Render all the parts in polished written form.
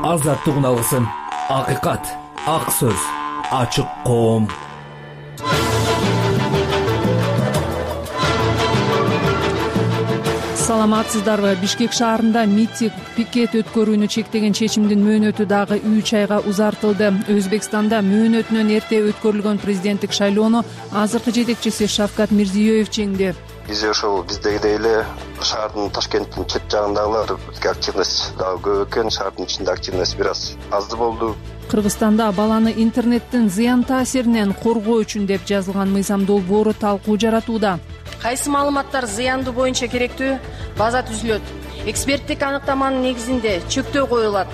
азаттык үналысын, акыйкат, ак сөз, ачык коом. Саламатсыздарбы? Бишкек шаарында митинг, пикет өткөрүүнү чектеген чечимдин мөөнөтү дагы 3 айга узартылды. Өзбекстанда мөөнөтүнөн эрте өткөрүлгөн президенттик шайлоону азыркы жетекчиси Шавкат Мирзиёев жеңди. Биз ошол биздегидей эле шаардын Ташкенттин чет жагындагылар активность дагы көп экен, шаардын ичинде активность бир аз болду. Кыргызстанда баланы интернеттин зыян таасиринен коргоо үчүн деп жазылган мыйзам долбоору талкуу жаратууда. Кайсы маалыматтар зыяндуу боюнча керектүү? База түзүлөт. Эксперттик аныктаманын негизинде чектөө коюлат.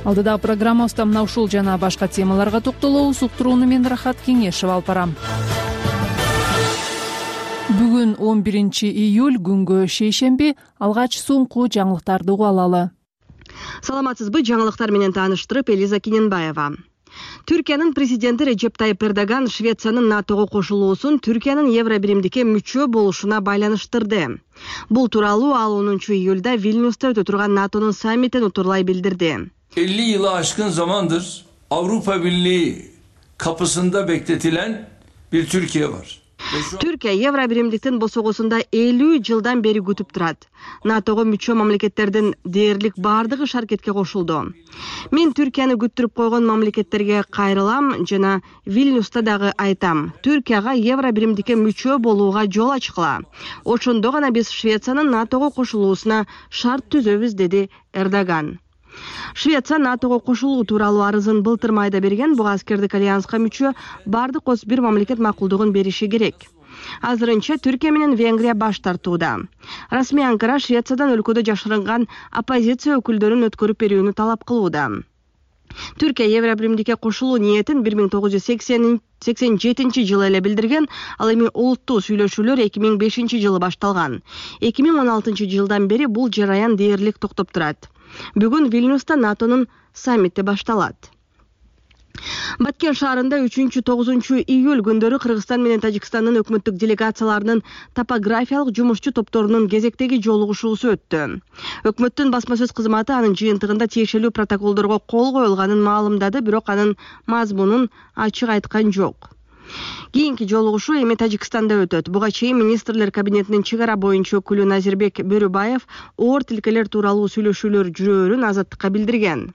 Алдыдагы программабызда мына ушул жана башка темаларга токтолобуз. Уктурууну мен Рахат Кеңешева алып барам. Бүгүн 11 июль, күнгө шейшемби. Алгач соңку жаңылыктарды угуп алалы. Саламатсызбы? Жаңылыктар менен тааныштырып, Элиза Киненбаева. Түркиянын президенти Режеп Тайип Эрдоган Швециянын НАТОго кошулуусун Түркиянын Евробиримдикке мүчө болушуна байланыштырды. Бул тууралуу ал 10 июлда Вильнюста өтө турган НАТОнун саммитин утурлай билдирди. 50 yılı aşkın zamandır Avrupa Birliği kapısında bekletilen bir Türkiye var. Түркия Евробиримдиктин босогосунда 50 жылдан бери күтүп турат. НАТОго мүчө мамлекеттердин дээрлик бардыгы шаркетке кошулду. Мен Түркияны күттүрүп койгон мамлекеттерге кайрылам жана Вильнюста дагы айтам. Түркияга Евробиримдикке мүчө болууга жол ачкыла. Ошондо гана биз Швециянын НАТОго кошулуусуна шарт түзөбүз, деди Эрдоган. Швеция НАТОго кошулуу тууралуу арызын былтыр майда берген. Буга аскердик альянска мүчө бардык 31 мамлекет макулдугун бериши керек. Азырынча Түркия менен Венгрия баш тартууда. Расмий Анкара Швециядан өлкөдө жашырынган оппозиция өкүлдөрүн өткөрүп берүүнү талап кылууда. Түркия Евробиримдикке кошулуу ниетин 1987 жылы эле билдирген. Ал эми улуттуу сүйлөшүүлөр 2005 жылы башталган. 2016 жылдан бери бул жараян дээрлик токтоп турат. Бүгүн Вильнюста НАТОнун саммити башталат. Баткен шаарында 3-9 июль күндөрү Кыргызстан менен Тажикстандын өкмөттүк делегацияларынын топографиялык жумушчу топторунун кезектеги жолугушуусу өттү. Өкмөттүн басма сөз кызматы анын жыйынтыгында тиешелүү протоколдорго кол коюлганын маалымдады, бирок анын мазмунун ачык айткан жок. Кийинки жолугушуу эми Тажикстанда өтөт. Буга чейин министрлер кабинетинин чек ара боюнча өкүлү Назирбек Бөрүбаев оор тилкелер тууралуу сүйлөшүүлөр жүрөөрүн Азаттыкка билдирген.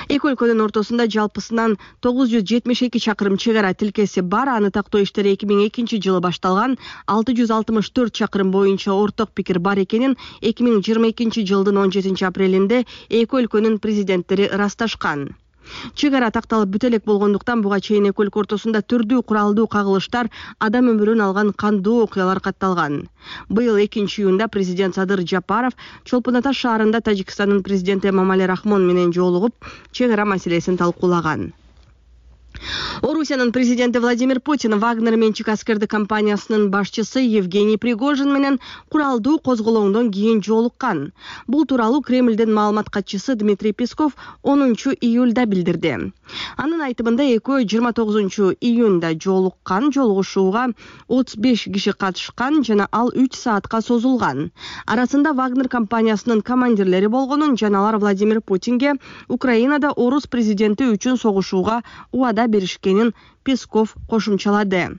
Эки өлкөнүн ортосунда жалпысынан 972 чакырым чек ара тилкеси бар. Аны тактоо иштери 2002 жылы башталган. 664 чакырым боюнча орток пикир бар экенин 2022 жылдын 17 апрелинде эки өлкөнүн президенттери ырасташкан. Чек ара такталып бүтө элек болгондуктан буга чейин эки өлкө ортосунда түрдүү куралдуу кагылыштар, адам өмүрүн алган кандуу окуялар катталган. Быйыл 2 июнда президент Садыр Жапаров Чолпон Ата шаарында Тажикстандын президенти Эмомали Рахмон менен жолугуп, чек ара маселесин талкуулаган. Орусиянын президенти Владимир Путин Вагнер менчик аскердик компаниясынын башчысы Евгений Пригожин менен куралдуу козголоңдон кийин жолуккан. Бул тууралуу Кремлдин маалымат катчысы Дмитрий Песков 10 июлда билдирди. Анын айтымында экөө 29 июнда жолуккан. Жолугушууга 35 киши катышкан жана ал 3 саатка созулган. Арасында Вагнер компаниясынын командирлери болгонун жана алар Владимир Путинге Украинада орус президенти үчүн согушууга убада беришкенин Песков кошумчалады.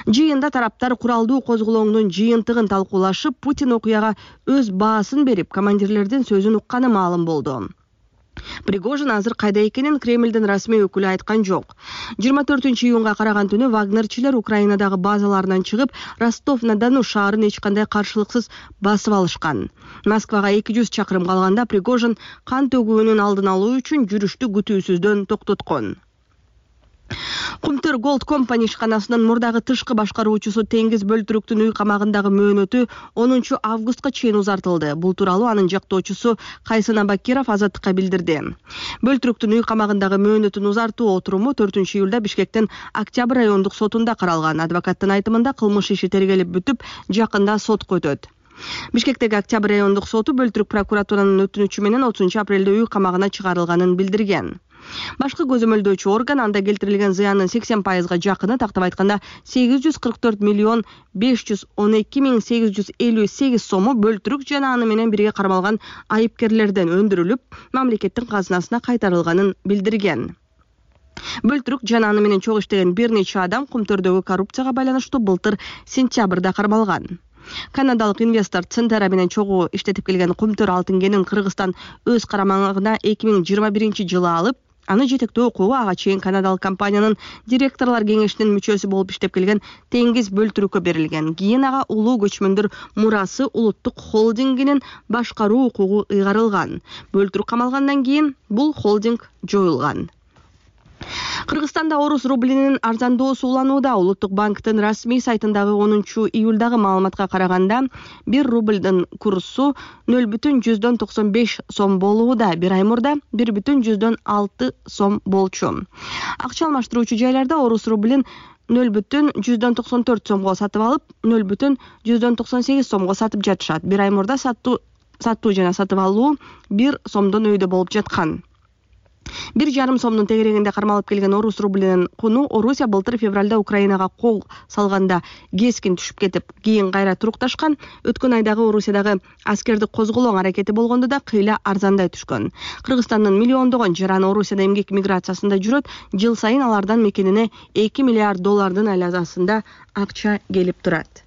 Жыйында тараптар куралдуу козголоңдун жыйынтыгын талкуулашып, Путин окуяга өз баасын берип, командирлердин сөзүн укканы маалым болду. Пригожин азыр кайда экенин Кремлдин расмий өкүлү айткан жок. 24 июнга караган түнү вагнерчилер Украинадагы базаларынан чыгып, Ростов-на-Дону шаарын эч кандай каршылыксыз басып алышкан. Москвага 200 чакырым калганда Пригожин кан төгүүнүн алдын алуу үчүн жүрүштү күтүүсүздөн токтоткон. Кумтөр Gold Company ишканасынын мурдагы тышкы башкаруучусу Теңиз Бөлтүрүктүн үй камагындагы мөөнөтү 10 августка чейин узартылды. Бул тууралуу анын жактоочусу Кайсын Абакиров Азаттыкка билдирди. Бөлтүрүктүн үй камагындагы мөөнөтүн узартуу отуруму 4 июлда Бишкектин Октябрь райондук сотунда каралган. Адвокаттын айтымында кылмыш иши тергелип бүтүп, жакында сотко өтөт. Бишкектеги Октябрь райондук соту Бөлтүрүк прокуратуранын өтүнүчү менен 30 апрелде үй камагына чыгарылганын билдирген. Башкы көзөмөлдөөчү орган анда келтирилген зыяндын 80%га жакыны, тактап айтканда 844 миллион 512 миң 858 сому бөлтүрүк жана аны менен бирге кармалган айыпкерлерден өндүрүлүп, мамлекеттин казынасына кайтарылганын билдирген. Бөлтүрүк жана аны менен чогуу иштеген бир нече адам Кумтөрдөгү коррупцияга байланыштуу былтыр сентябрда кармалган. Канадалык инвестор Центера менен чогуу иштетип келген Кумтөр алтын кенин Кыргызстан өз карамагына 2021-жылы алып, аны жетектөө укугу ага чейин канадалык компаниянын директорлор кеңешинин мүчөсү болуп иштеп келген Теңиз Бөлтүрүккө берилген. Кийин ага улуу көчмөндөр мурасы улуттук холдингинин башкаруу укугу ыйгарылган. Бөлтүрүк камалгандан кийин бул холдинг жоюлган. Кыргызстанда орус рублинин арзандоосу уланууда. Улуттук банктын расмий сайтындагы 10-июлдагы маалыматка караганда 1 рублдын курсу 0,95 сом болууда. Bir ай мурда 1,6 сом болчу. Акча алмаштыруучу жайларда орус рублин 0,94 сомго сатып алып, 0,98 сомго сатып жатышат. Bir ай мурда сатуу жана сатып алуу 1 сомдон өйдө болуп жаткан. 1,5 сомдун тегерегинде кармалып келген орус рублинин куну Орусия былтыр февралда Украинага кол салганда кескин түшүп кетип, кийин кайра турукташкан. Өткөн айдагы Орусиядагы аскердик козголоң аракети болгондо да кыйла арзандай түшкөн. Кыргызстандын миллиондогон жараны Орусияда эмгек миграциясында жүрөт. Жыл сайын алардан мекенине $2 миллиард айласында акча келип турат.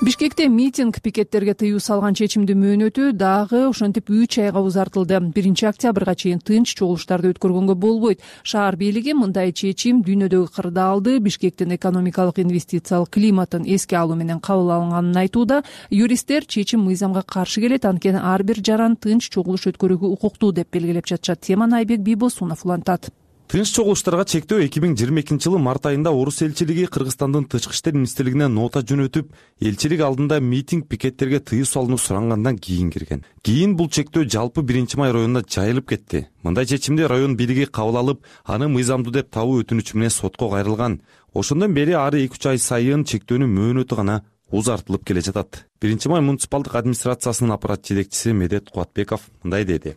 Бишкекте митинг пикеттерге тыюу салган чечимдин мөөнөтү дагы ошентип 3 айга узартылды. 1-октябрга чейин тынч чогулуштарды өткөргөнгө болбойт. Шаар бийлиги мындай чечим дүйнөдөгү кырдаалды, Бишкектин экономикалык инвестициялык климатын эске алуу менен кабыл алынганын айтууда. Юристтер чечим мыйзамга каршы келет, анткени ар бир жаран тынч чогулуш өткөрүүгө укуктуу деп белгилеп жатышат. Теманы Айбек Бийбосунов улантат. Тынч чогулуштарга чектөө 2022-жылы март айында орус элчилиги Кыргызстандын тышкы иштер министрлигине нота жөнөтүп, элчилик алдында митинг пикеттерге тыюу салууну сурангандан кийин кирген. Кийин бул чектөө жалпы 1-май районуна жайылып кетти. Мындай чечимди район бийлиги кабыл алып, аны мыйзамдуу деп табуу өтүнүчү менен сотко кайрылган. Ошондон бери ары 2 ай сайын чектөөнүн мөөнөтү гана узартылып келе жатат. 1-май муниципалдык администрациясынын аппарат жетекчиси Медет Кубатбеков мындай деди.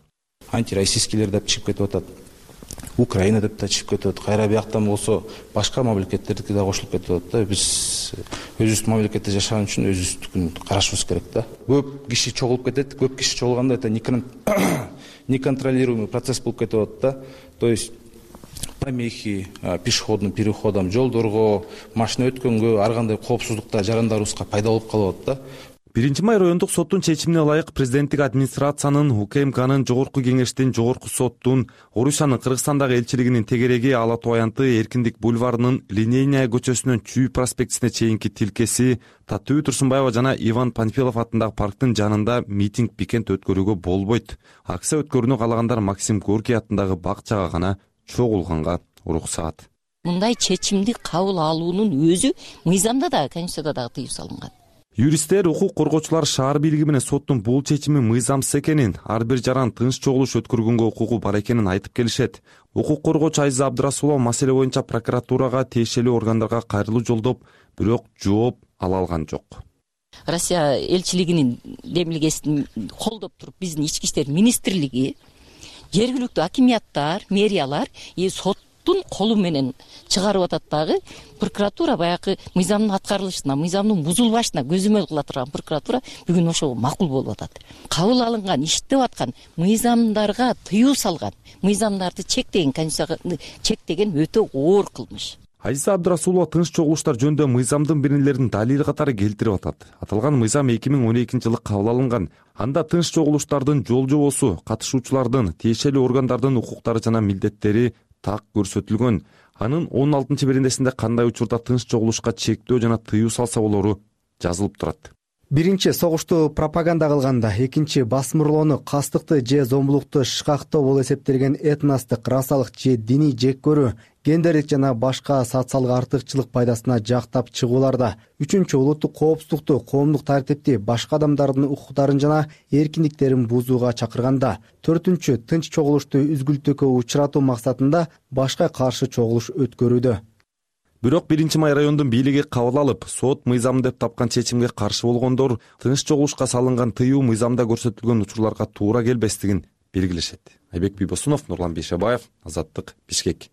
Антироссийскийлер деп чыгып кетип атат. Украина деп да чыгып кетип атат. Кайра бияктан болсо башка мамлекеттердики да кошулуп кетип атат да. Биз өзүбүздүн мамлекетте жашаган үчүн өзүбүздүкүн карашыбыз керек да. Көп киши чогулуп кетет. Көп киши чогулганда это неконтролируемый процесс болуп кетип атат да. То есть помехи пешеходным переходам, жолдорго, машина өткөнгө, ар кандай коопсуздукта жарандарыбызга пайда болуп калып атат да. 1-май райондук соттун чечимине ылайык президенттик администрациянын, УКМКнын, жогорку кеңештин, жогорку соттун, Орусиянын Кыргызстандагы элчилигинин тегереги Ала Тоо аянты Эркиндик бульварынын Линейная көчөсүнөн Чүй проспектисине чейинки тилкеси, Татуу Турсунбаева жана Иван Панфилов атындагы парктын жанында митинг пикет өткөрүүгө болбойт. Акция өткөрүүнү каалагандар Максим Горький атындагы бакчага гана чогулганга уруксаат. Мындай чечимди кабыл алуунун өзү мыйзамда да, Конституцияда дагы тыюу салынган. Юристтер, укук коргоочулар шаар бийлиги менен соттун бул чечими мыйзамсыз экенин, ар бир жаран тынч чогулуш өткөргөнгө укугу бар экенин айтып келишет. Укук коргоочу Айза Абдрасулова маселе боюнча прокуратурага, тиешелүү органдарга кайрылуу жолдоп, бирок жооп ала алган жок. Россия элчилигинин демилгесин колдоп туруп, биздин ички иштер министрлиги, жергиликтүү акимияттар, мэриялар соттун колу менен чыгарып атат дагы. Прокуратура баягы мыйзамдын аткарылышына, мыйзамдын бузулбашына көзөмөл кыла турган прокуратура бүгүн ошого макул болуп атат. Кабыл алынган, иштеп аткан мыйзамдарга тыюу салган, мыйзамдарды чектеген, Конституцияны чектеген өтө оор кылмыш. Айза Абдрасулова тынч чогулуштар жөнүндө мыйзамдын биринелерин далил катары келтирип атат. Аталган мыйзам 2012-жылы кабыл алынган. Анда тынч чогулуштардын жол жобосу, катышуучулардын, тиешелүү органдардын укуктары жана милдеттери так көрсөтүлгөн. Анын 16-берендесинде кандай учурда тынч чогулушка чектөө жана тыюу салса болору жазылып турат. Биринчи согушту пропаганда кылганда, экинчи басмырлоону, кастыкты же зомбулукту шкактоо болуп эсептелген этностук, расалык же диний жек көрүү, гендерлик жана башка социалдык артыкчылык пайдасына жактап чыгууларда. Үчүнчү улуттук коопсуздукту, коомдук тартипти, башка адамдардын укуктарын жана эркиндиктерин бузууга чакырганда. Төртүнчү тынч чогулушту үзгүлтүүгө учуратуу максатында башка каршы чогулуш өткөрүүдө. Бирок 1-май райондун бийлиги кабыл алып, сот мыйзам деп тапкан чечимге каршы болгондор тынч чогулушка салынган тыюу мыйзамда көрсөтүлгөн учурларга туура келбестигин белгилешет. Айбек Бийбосунов, Нурлан Бейшебаев, Азаттык, Бишкек.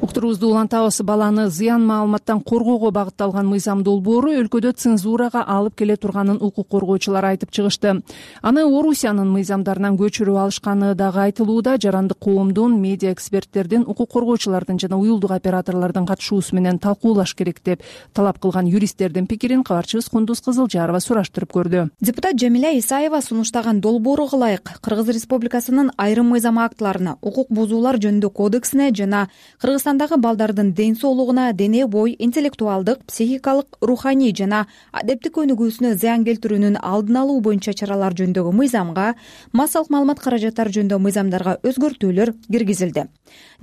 Уктуруубузду улантабыз. Баланы зыян маалыматтан коргоого багытталган мыйзам долбоору өлкөдө цензурага алып келе турганын укук коргоочулар айтып чыгышты. Аны Орусиянын мыйзамдарынан көчүрүп алышканы дагы айтылууда. Жарандык коомдун, медиа эксперттердин, укук коргоочулардын жана уюлдук операторлордун катышуусу менен талкуулаш керек деп талап кылган юристтердин пикирин кабарчыбыз Кундуз Кызылжарова сураштырып көрдү. Депутат Жамиля Исаева сунуштаган долбоорго ылайык Кыргыз Республикасынын айрым мыйзам актыларына, укук бузуулар жөнүндө кодексине жана Кыргызстандагы балдардын ден соолугуна, дене бой, интеллектуалдык, психикалык, руханий жана адептик өнүгүүсүнө зыян келтирүүнүн алдын алуу боюнча чаралар жөнүндөгү мыйзамга, массалык маалымат каражаттары жөнүндө мыйзамдарга өзгөртүүлөр киргизилди.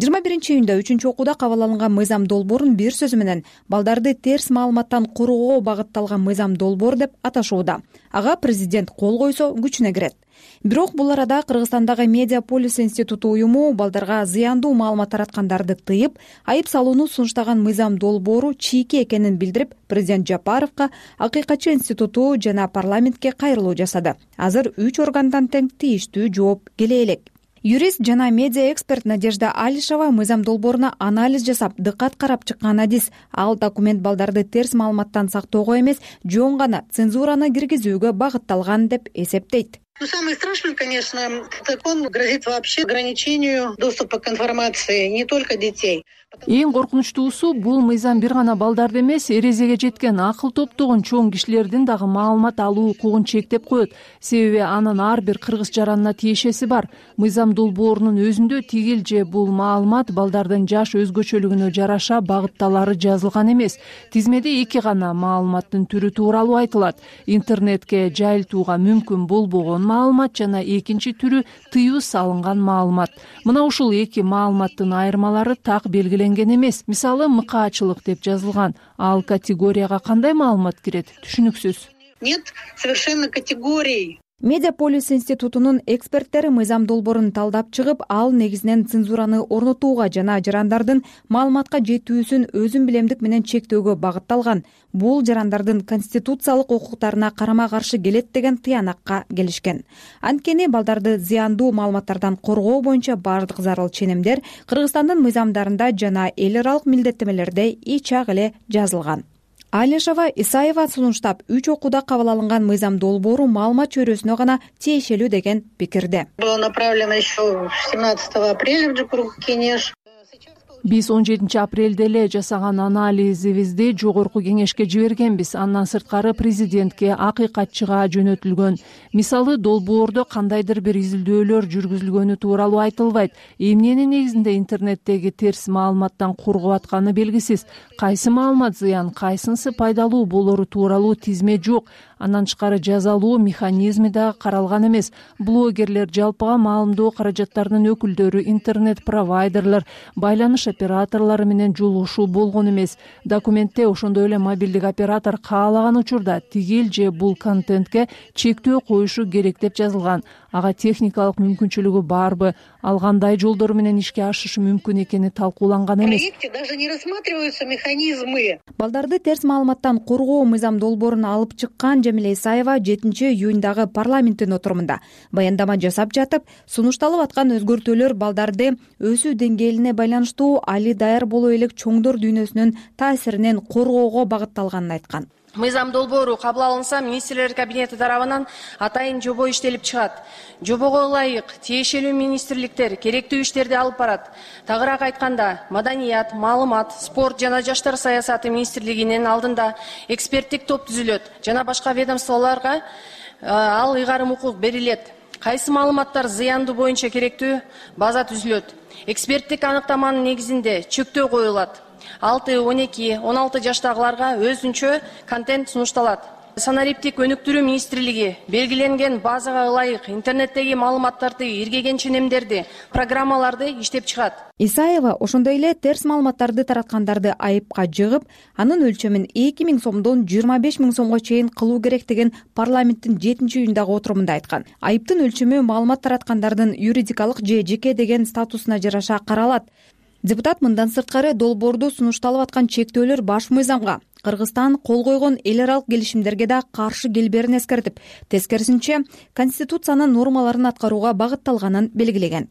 21-июнда 3-окууда кабыл алынган мыйзам долбоорун бир сөзү менен балдарды терс маалыматтан коргоого багытталган мыйзам долбоор деп аташууда. Ага президент кол койсо күчүнө кирет. Бирок бул арада Кыргызстандагы Медиаполис институту уюму балдарга зыяндуу маалымат тараткандарды тыйып, айып салууну сунуштаган мыйзам долбоору чийки экенин билдирип, президент Жапаровго, Акыйкатчы институту жана парламентке кайрылуу жасады. Азыр 3 органдан тең тийиштүү жооп келе элек. Юрист жана медиа эксперт Надежда Алишева мыйзам долбооруна анализ жасап, дыккат карап чыккан адис. Ал документ балдарды терс маалыматтан сактоого эмес, жөн гана цензураны киргизүүгө багытталган деп эсептейт. Самое страшное, конечно, закон грозит вообще ограничению доступа к информации не только детей. Эң коркунучтуусу бул мыйзам бир гана балдарды эмес, эрезеге жеткен акыл топтогон чоң кишилердин дагы маалымат алуу укугун чектеп коет. Себеби анын ар бир кыргыз жаранына тиешеси бар. Мыйзам долбоорунун өзүндө тигил же бул маалымат балдардын жаш өзгөчөлүгүнө жараша багытталары жазылган эмес. Тизмеде 2 гана маалыматтын түрү тууралуу айтылат. Интернетке жайылтууга мүмкүн болбогон маалымат жана экинчи түрү тыюу салынган маалымат. Мына ушул 2 маалыматтын айырмалары так белгиленген эмес. Мисалы, мыкаачылык деп жазылган. Ал категорияга кандай маалымат кирет? Түшүнүксүз. Нет совершенно категорий. Медиаполис институтунун эксперттери мыйзам долбоорун талдап чыгып, ал негизинен цензураны орнотууга жана жарандардын маалыматка жетүүсүн өзүн билемдик менен чектөөгө багытталган. Бул жарандардын конституциялык укуктарына карама каршы келет деген тыянакка келишкен. Анткени балдарды зыяндуу маалыматтардан коргоо боюнча бардык зарыл ченемдер Кыргызстандын мыйзамдарында жана эл аралык милдеттемелерде ичак эле жазылган. Алишева Исаева сунуштап, 3 окууда кабыл алынган мыйзам долбоору маалымат чөйрөсүнө гана тиешелүү деген пикирде. Было направлено еще 17 апреля в Джукурук Кенеш. Биз 17 апрелде эле жасаган анализибизди жогорку кеңешке жибергенбиз. Андан сырткары президентке, акыйкатчыга жөнөтүлгөн. Мисалы, долбоордо кандайдыр бир изилдөөлөр жүргүзүлгөнү тууралуу айтылбайт. Эмненин негизинде интернеттеги терс маалыматтан коргоп атканы белгисиз. Кайсы маалымат зыян, кайсынысы пайдалуу болору тууралуу тизме жок. Андан тышкары жазалуу механизми да каралган эмес. Блогерлер, жалпыга маалымдоо каражаттарынын өкүлдөрү, интернет-провайдерлер, байланыш операторлору менен жолугушуу болгон эмес. Документте ошондой эле мобилдик оператор каалаган учурда тигил же бул контентке чектөө коюшу керек деп жазылган. Ага техникалык мүмкүнчүлүгү барбы, ал кандай жолдор менен ишке ашышы мүмкүн экени талкууланган эмес. В проекте даже не рассматриваются механизмы. Балдарды терс маалыматтан коргоо мыйзам долбоорун алып чыккан Жамиля Исаева 7-июндагы парламенттин отурумунда баяндама жасап жатып, сунушталып аткан өзгөртүүлөр балдарды өсүү деңгээлине байланыштуу али даяр боло элек чоңдор дүйнөсүнүн таасиринен коргоого багытталганын айткан. Мыйзам долбоору кабыл алынса, министрлер кабинети тарабынан атайын жобо иштелип чыгат. Жобого ылайык тиешелүү министрликтер керектүү иштерди алып барат. Тагыраак айтканда, маданият, маалымат, спорт жана жаштар саясаты министрлигинин алдында эксперттик топ түзүлөт жана башка ведомстволорго ал ыйгарым укук берилет. Кайсы маалыматтар зыяндуу боюнча керектүү база түзүлөт. Эксперттик аныктаманын негизинде чектөө коюлат. 6-12-16 жаштагыларга өзүнчө контент сунушталат. Санариптик өнүктүрүү министрлиги белгиленген базага ылайык интернеттеги маалыматтарды, иргеген ченемдерди, программаларды иштеп чыгат. Исаева ошондой эле терс маалыматтарды тараткандарды айыпка жыгып, анын өлчөмүн 2000 сомдон 25 000 сомго чейин кылуу керек деген парламенттин 7-июндагы отурумунда айткан. Айыптын өлчөмү маалымат тараткандардын юридикалык же жеке деген статусуна жараша каралат. Депутат мындан сырткары долбоордо сунушталып аткан чектөөлөр баш мыйзамга, Кыргызстан кол койгон эл аралык келишимдерге да каршы келберин эскертип, тескерисинче Конституциянын нормаларын аткарууга багытталганын белгилеген.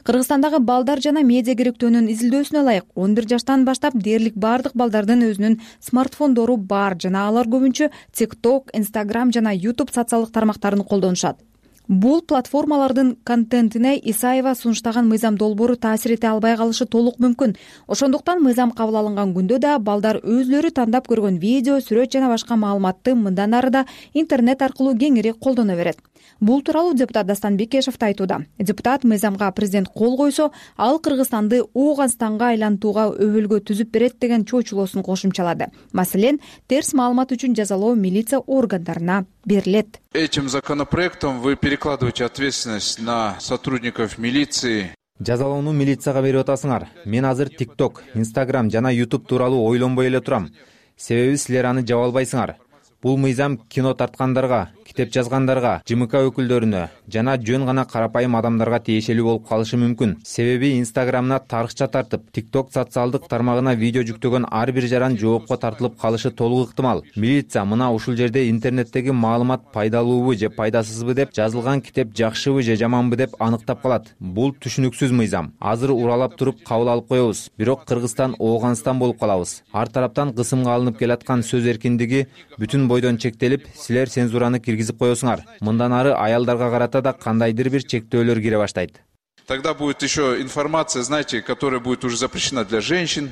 Кыргызстандагы балдар жана медиа керектөөнүн изилдөөсүнө ылайык 11 жаштан баштап дээрлик бардык балдардын өзүнүн смартфондору бар жана алар көбүнчө TikTok, Instagram жана YouTube социалдык тармактарын колдонушат. Бул платформалардын контентине Исаева сунуштаган мыйзам долбоору таасир эте албай калышы толук мүмкүн. Ошондуктан мыйзам кабыл алынган күндө да балдар өзлөрү тандап көргөн видео, сүрөт жана башка маалыматты мындан ары да интернет аркылуу кеңири колдоно берет. Бул тууралуу депутат Дастан Бекешев айтууда. Депутат мыйзамга президент кол койсо, ал Кыргызстанды Ооганстанга айлантууга өбөлгө түзүп берет деген чоочулоосун кошумчалады. Маселен, терс маалымат үчүн жазалоо милиция органдарына берилет. Этим законопроектом вы перекладываете ответственность на сотрудников милиции. Жазалоону милицияга берип атасыңар. Мен азыр TikTok, Instagram жана YouTube тууралуу ойлонбой эле турам. Себеби силер аны жаба албайсыңар. Бул мыйзам кино тарткандарга, китеп жазгандарга, ЖМК өкүлдөрүнө жана жөн гана карапайым адамдарга тиешелүү болуп калышы мүмкүн. Себеби Instagram'на тарыкча тартып, TikTok социалдык тармагына видео жүктөгөн ар бир жаран жоопко тартылып калышы толук ыктымал. Милиция мына ушул жерде интернеттеги маалымат пайдалуубу же пайдасызбы деп, жазылган китеп жакшыбы же жаманбы деп аныктап калат. Бул түшүнүксүз мыйзам. Азыр уралап туруп кабыл алып коебуз. Бирок Кыргызстан Ооганстан болуп калабыз. Ар тараптан кысымга алынып келаткан сөз эркиндиги бүтүн бойдон чектелип, силер цензураны киргизип коесуңар. Мындан ары аялдарга карата да кандайдыр бир чектөөлөр кире баштайт. Тогда будет еще информация, знаете, которая будет уже запрещена для женщин.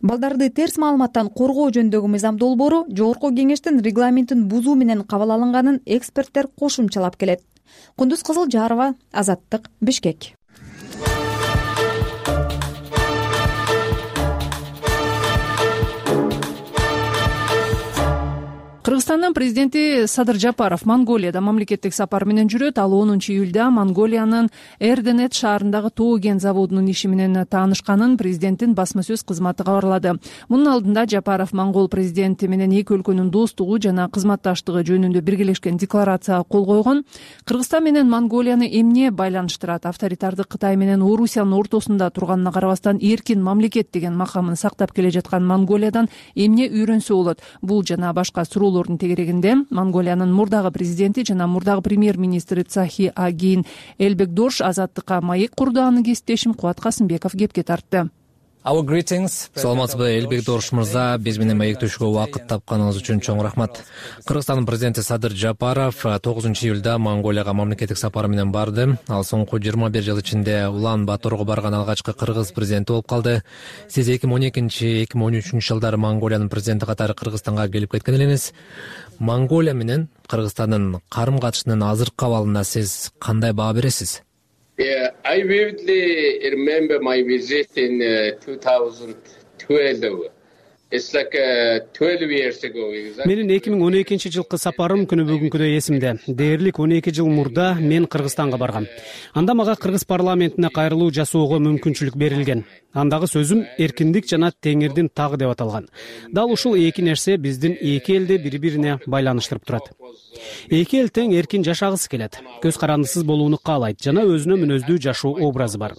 Балдарды терс маалыматтан коргоо жөнүндөгү мыйзам долбоору Жогорку кеңештин регламентин бузуу менен кабыл алынганын эксперттер кошумчалап келет. Кундуз Кызылжарова, Азаттык, Бишкек. Кыргызстандын президенти Садыр Жапаров Монголияда мамлекеттик сапар менен жүрөт. Ал 10 июлда Монголиянын Эрденет шаарындагы тоо кен заводунун иши менен таанышканын президенттин басма сөз кызматы кабарлады. Мунун алдында Жапаров монгол президенти менен эки өлкөнүн достугу жана кызматташтыгы жөнүндө биргелешкен декларацияга кол койгон. Кыргызстан менен Монголияны эмне байланыштырат? Авторитардык Кытай менен Орусиянын ортосунда турганына карабастан эркин мамлекет деген макамын сактап келе жаткан Монголиядан эмне үйрөнсө болот? Бул жана башка суроолордун тегерегинде Монголиянын мурдагы президенти жана мурдагы премьер-министри Цахи Агин Элбекдош Азаттыкка маек курду. Аны кесиптешим Кубат Касымбеков кепке тартты. Саламатсызбы, Элбекдош мырза, биз менен маектешүүгө убакыт тапканыңыз үчүн чоң рахмат. Кыргызстандын президенти Садыр Жапаров 9 июлда Монголияга мамлекеттик сапары менен барды. Ал соңку 21 жыл ичинде Улан-Баторго барган алгачкы кыргыз президенти болуп калды. Сиз 2012-2013 жылдары Монголиянын президенти катары Кыргызстанга келип кеткен элеңиз. Монголия менен Кыргызстандын карым-катышынын азыркы абалына сиз кандай баа бересиз? I vividly remember my visit in 2012. It's like 12 years ago. Менин 2012 жылкы сапарым күнү бүгүнкүдөй эсимде. Дээрлик 12 жыл мурда мен Кыргызстанга баргам. Анда мага кыргыз парламентине кайрылуу жасоого мүмкүнчүлүк берилген. Андагы сөзүм эркиндик жана теңирдин тагы деп аталган. Дал ушул эки нерсе биздин эки элди бири-бирине байланыштырып турат. Эки эл тең эркин жашагысы келет, көз карандысыз болууну каалайт жана өзүнө мүнөздүү жашоо образы бар.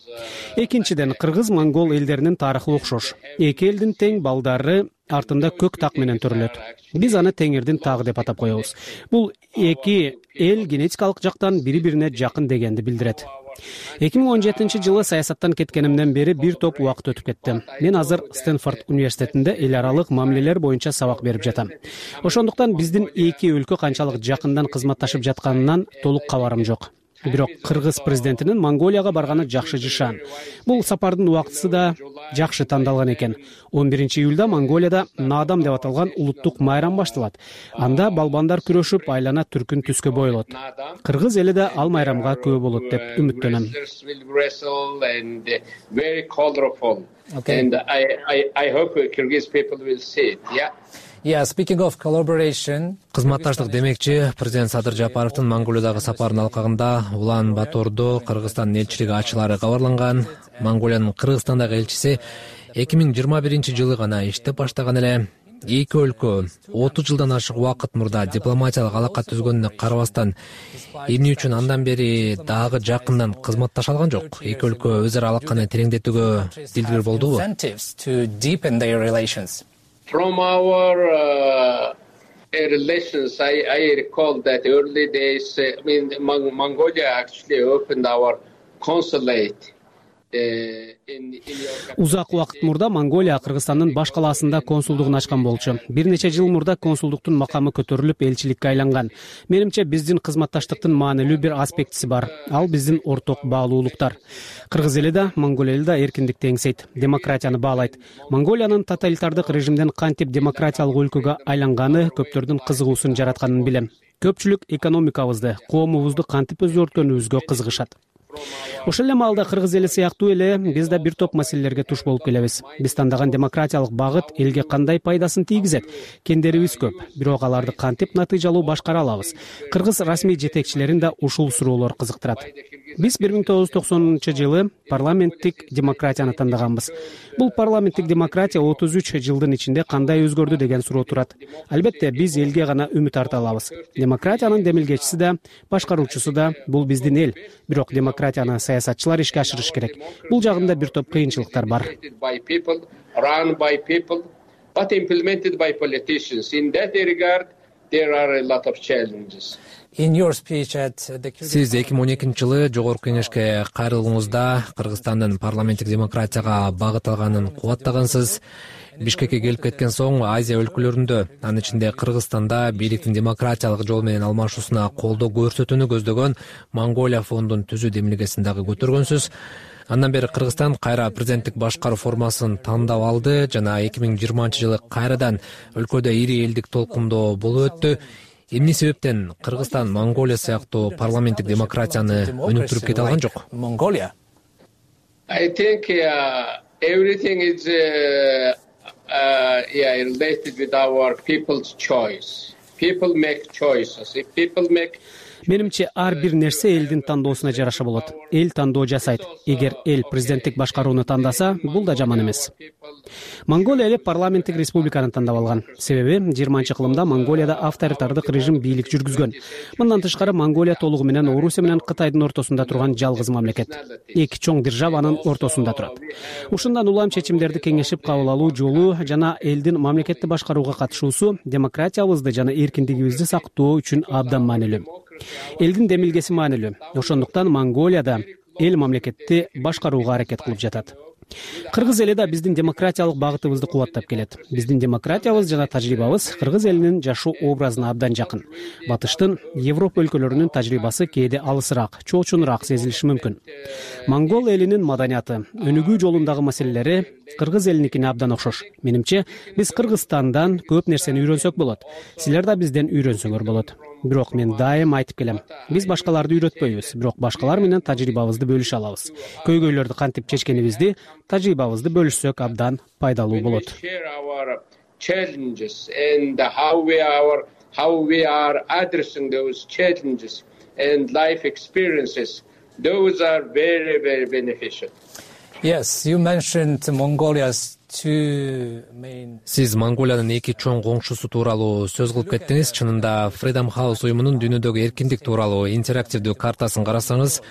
Экинчиден, кыргыз-монгол элдеринин тарыхы окшош. Эки элдин тең балдары артында көк так менен төрөлөт. Биз аны теңирдин тагы деп атап коебуз. Бул эки эл генетикалык жактан бири-бирине жакын дегенди билдирет. 2017 жылы саясаттан кеткенимден бери бир топ убакыт өтүп кетти. Мен азыр Стэнфорд университетинде эл аралык мамилелер боюнча сабак берип жатам. Ошондуктан биздин эки өлкө канчалык жакындан кызматташып жатканынан толук кабарым жок. Бирок кыргыз президентинин Монголияга барганы жакшы жышан. Бул сапардын убактысы да жакшы тандалган экен. 11 июлда Монголияда Наадам деп аталган улуттук майрам башталат. Анда балбандар күрөшүп, айлана түркүн түскө бойлот. Кыргыз эли да ал майрамга күбө болот деп үмүттөнөм. Speaking of collaboration, кызматташтык демекчи, президент Садыр Жапаровдун Монголиядагы сапарынын алкагында Улан-Батордо Кыргызстандын элчилиги ачылары кабарланган. Монголиянын Кыргызстандагы элчиси 2021 жылы гана иштеп баштаган эле. Эки өлкө 30 жылдан ашык убакыт мурда дипломатиялык алака түзгөнүнө карабастан, эмне үчүн андан бери дагы жакындан кызматташа алган жок? Эки өлкө өз ара алаканы тереңдетүүгө дилгир болдубу? From our relations, I recall that early days, Mongolia actually opened our consulate. Узак убакыт мурда Монголия Кыргызстандын баш калаасында консулдугун ачкан болчу. Бир нече жыл мурда консулдуктун макамы көтөрүлүп элчиликке айланган. Менимче биздин кызматташтыктын маанилүү бир аспектиси бар. Ал биздин орток баалуулуктар. Кыргыз эли да, Монголия эли да эркиндикти эңсейт, демократияны баалайт. Монголиянын тоталитардык режимден кантип демократиялык өлкөгө айланганы көптөрдүн кызыгуусун жаратканын билем. Көпчүлүк экономикабызды, коомубузду кантип өзгөрткөнүбүзгө кызыгышат. Ошол эле маалда кыргыз эли сыяктуу эле биз да бир топ маселелерге туш болуп келебиз. Биз тандаган демократиялык багыт элге кандай пайдасын тийгизет? Кендерибиз көп, бирок аларды кантип натыйжалуу башкара алабыз? Кыргыз расмий жетекчилерин да ушул суроолор кызыктырат. Биз 1990-жылы парламенттик демократияны тандаганбыз. Бул парламенттик демократия 33 жылдын ичинде кандай өзгөрдү деген суроо турат. Албетте, биз элге гана үмүт арта алабыз. Демократиянын демилгечиси да, башкаруучусу да бул биздин эл. Бирок демократияны саясатчылар ишке ашырыш керек. Бул жагында бир топ кыйынчылыктар бар. Сиз 2012-жылы Жогорку Кеңешке кайрылууңузда Кыргызстандын парламенттик демократияга багыт алганын кубаттагансыз. Бишкекке келип кеткен соң Азия өлкөлөрүндө, анын ичинде Кыргызстанда бийликтин демократиялык жол менен алмашуусуна колдоо көрсөтүүнү көздөгөн Монголия фондун түзүү демилгесин дагы көтөргөнсүз. Андан бери Кыргызстан кайра президенттик башкаруу формасын тандап алды жана 2020-жылы кайрадан өлкөдө ири элдик толкундоо болуп өттү. Эмне себептен Кыргызстан Монголия сыяктуу парламенттик демократияны өнүктүрүп кете алган жок? I think everything is related with our people's choice. People make choices. If people make Менимче ар бир нерсе элдин тандоосуна жараша болот. Эл тандоо жасайт. Эгер эл президенттик башкарууну тандаса, бул да жаман эмес. Монголия эли парламенттик республиканы тандап алган. Себеби 20-кылымда Монголияда авторитардык режим бийлик жүргүзгөн. Мындан тышкары Монголия толугу менен Орусия менен Кытайдын ортосунда турган жалгыз мамлекет. Эки чоң державанын ортосунда турат. Ушундан улам чечимдерди кеңешип кабыл алуу жолу жана элдин мамлекетти башкарууга катышуусу демократиябызды жана эркиндигибизди сактоо үчүн абдан маанилүү. Элдин демилгеси маанилүү. Ошондуктан Монголияда эл мамлекетти башкарууга аракет кылып жатат. Кыргыз эли да биздин демократиялык багытыбызды кубаттап келет. Биздин демократиябыз жана тажрыйбабыз кыргыз элинин жашоо образына абдан жакын. Батыштын, Европа өлкөлөрүнүн тажрыйбасы кээде алысыраак, чоочунураак сезилиши мүмкүн. Монгол элинин маданияты, өнүгүү жолундагы маселелери кыргыз элиникине абдан окшош. Менимче, биз Кыргызстандан көп нерсени үйрөнсөк болот. Силер да бизден үйрөнсөңөр болот. Бирок мен дайым айтып келем. Биз башкаларды үйрөтпөйбүз, бирок башкалар менен тажрыйбабызды бөлүшө алабыз. Көйгөйлөрдү кантип чечкенибизди, тажрыйбабызды бөлүшсөк абдан пайдалуу болот. Yes, you mentioned Mongolia's Сиз Монголиянын эки чоң коңшусу тууралуу сөз кылып кеттиңиз. Чынында Freedom House уюмунун дүйнөдөгү эркиндик тууралуу интерактивдүү картасын карасаңыз,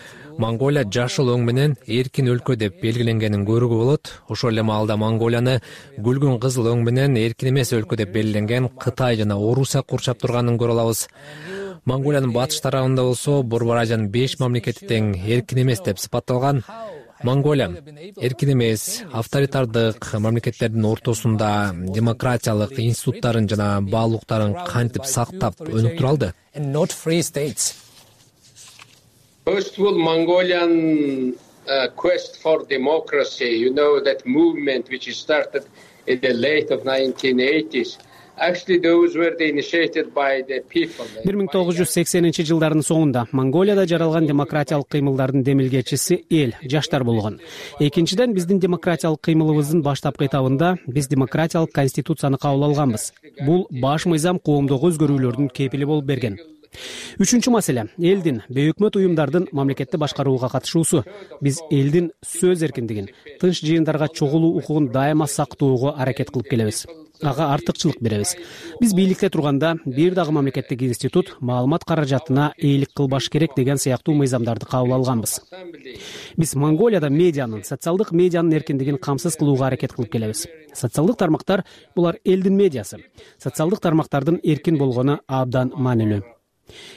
Монголия жашыл өң менен эркин өлкө деп белгиленгенин көрүүгө болот. Ошол эле маалда Монголияны күлгүн кызыл өң менен эркин эмес өлкө деп белгиленген Кытай жана Орусия курчап турганын көрө алабыз. Монголиянын батыш тарабында болсо Борбор Азиянын 5 мамлекети тең эркин эмес деп сыпатталган. Монголия эркин эмес, авторитардык мамлекеттердин ортосунда демократиялык институттарын жана баалуулуктарын кантип сактап өнүктүрө алды? First of all, Mongolian quest for democracy, you know, that movement which started in the late of 1980s. Actually, those were initiated by the people. 1980-жылдардын соңунда Монголияда жаралган демократиялык кыймылдардын демилгечиси эл, жаштар болгон. Экинчиден, биздин демократиялык кыймылыбыздын баштапкы этабында биз демократиялык конституцияны кабыл алганбыз. Бул баш мыйзам коомдогу өзгөрүүлөрдүн кепили болуп берген. Үчүнчү маселе — элдин, бейөкмөт уюмдардын мамлекетти башкарууга катышуусу. Биз элдин сөз эркиндигин, тынч жыйындарга чогулуу укугун дайыма сактоого аракет кылып келебиз. ага артыкчылык беребиз. Биз бийликте турганда бир дагы мамлекеттик институт маалымат каражатына ээлик кылбаш керек деген сыяктуу мыйзамдарды кабыл алганбыз. Биз Монголияда медианын, социалдык медианын эркиндигин камсыз кылууга аракет кылып келебиз. Социалдык тармактар булар элдин медиасы. Социалдык тармактардын эркин болгону абдан маанилүү.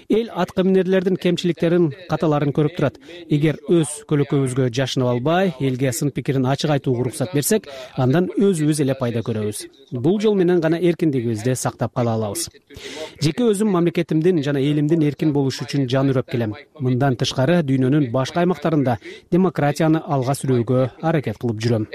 Эл аткаминерлердин кемчиликтерин, каталарын көрүп турат. Эгер өз көлөкөбүзгө жашынып албай, элге сын пикирин ачык айтууга уруксат берсек, андан өзүбүз эле пайда көрөбүз. Бул жол менен гана эркиндигибизди сактап кала алабыз. Жеке өзүм мамлекетимдин жана элимдин эркин болушу үчүн жан үрөп келем. Мындан тышкары дүйнөнүн башка аймактарында демократияны алга сүрүүгө аракет кылып жүрөм.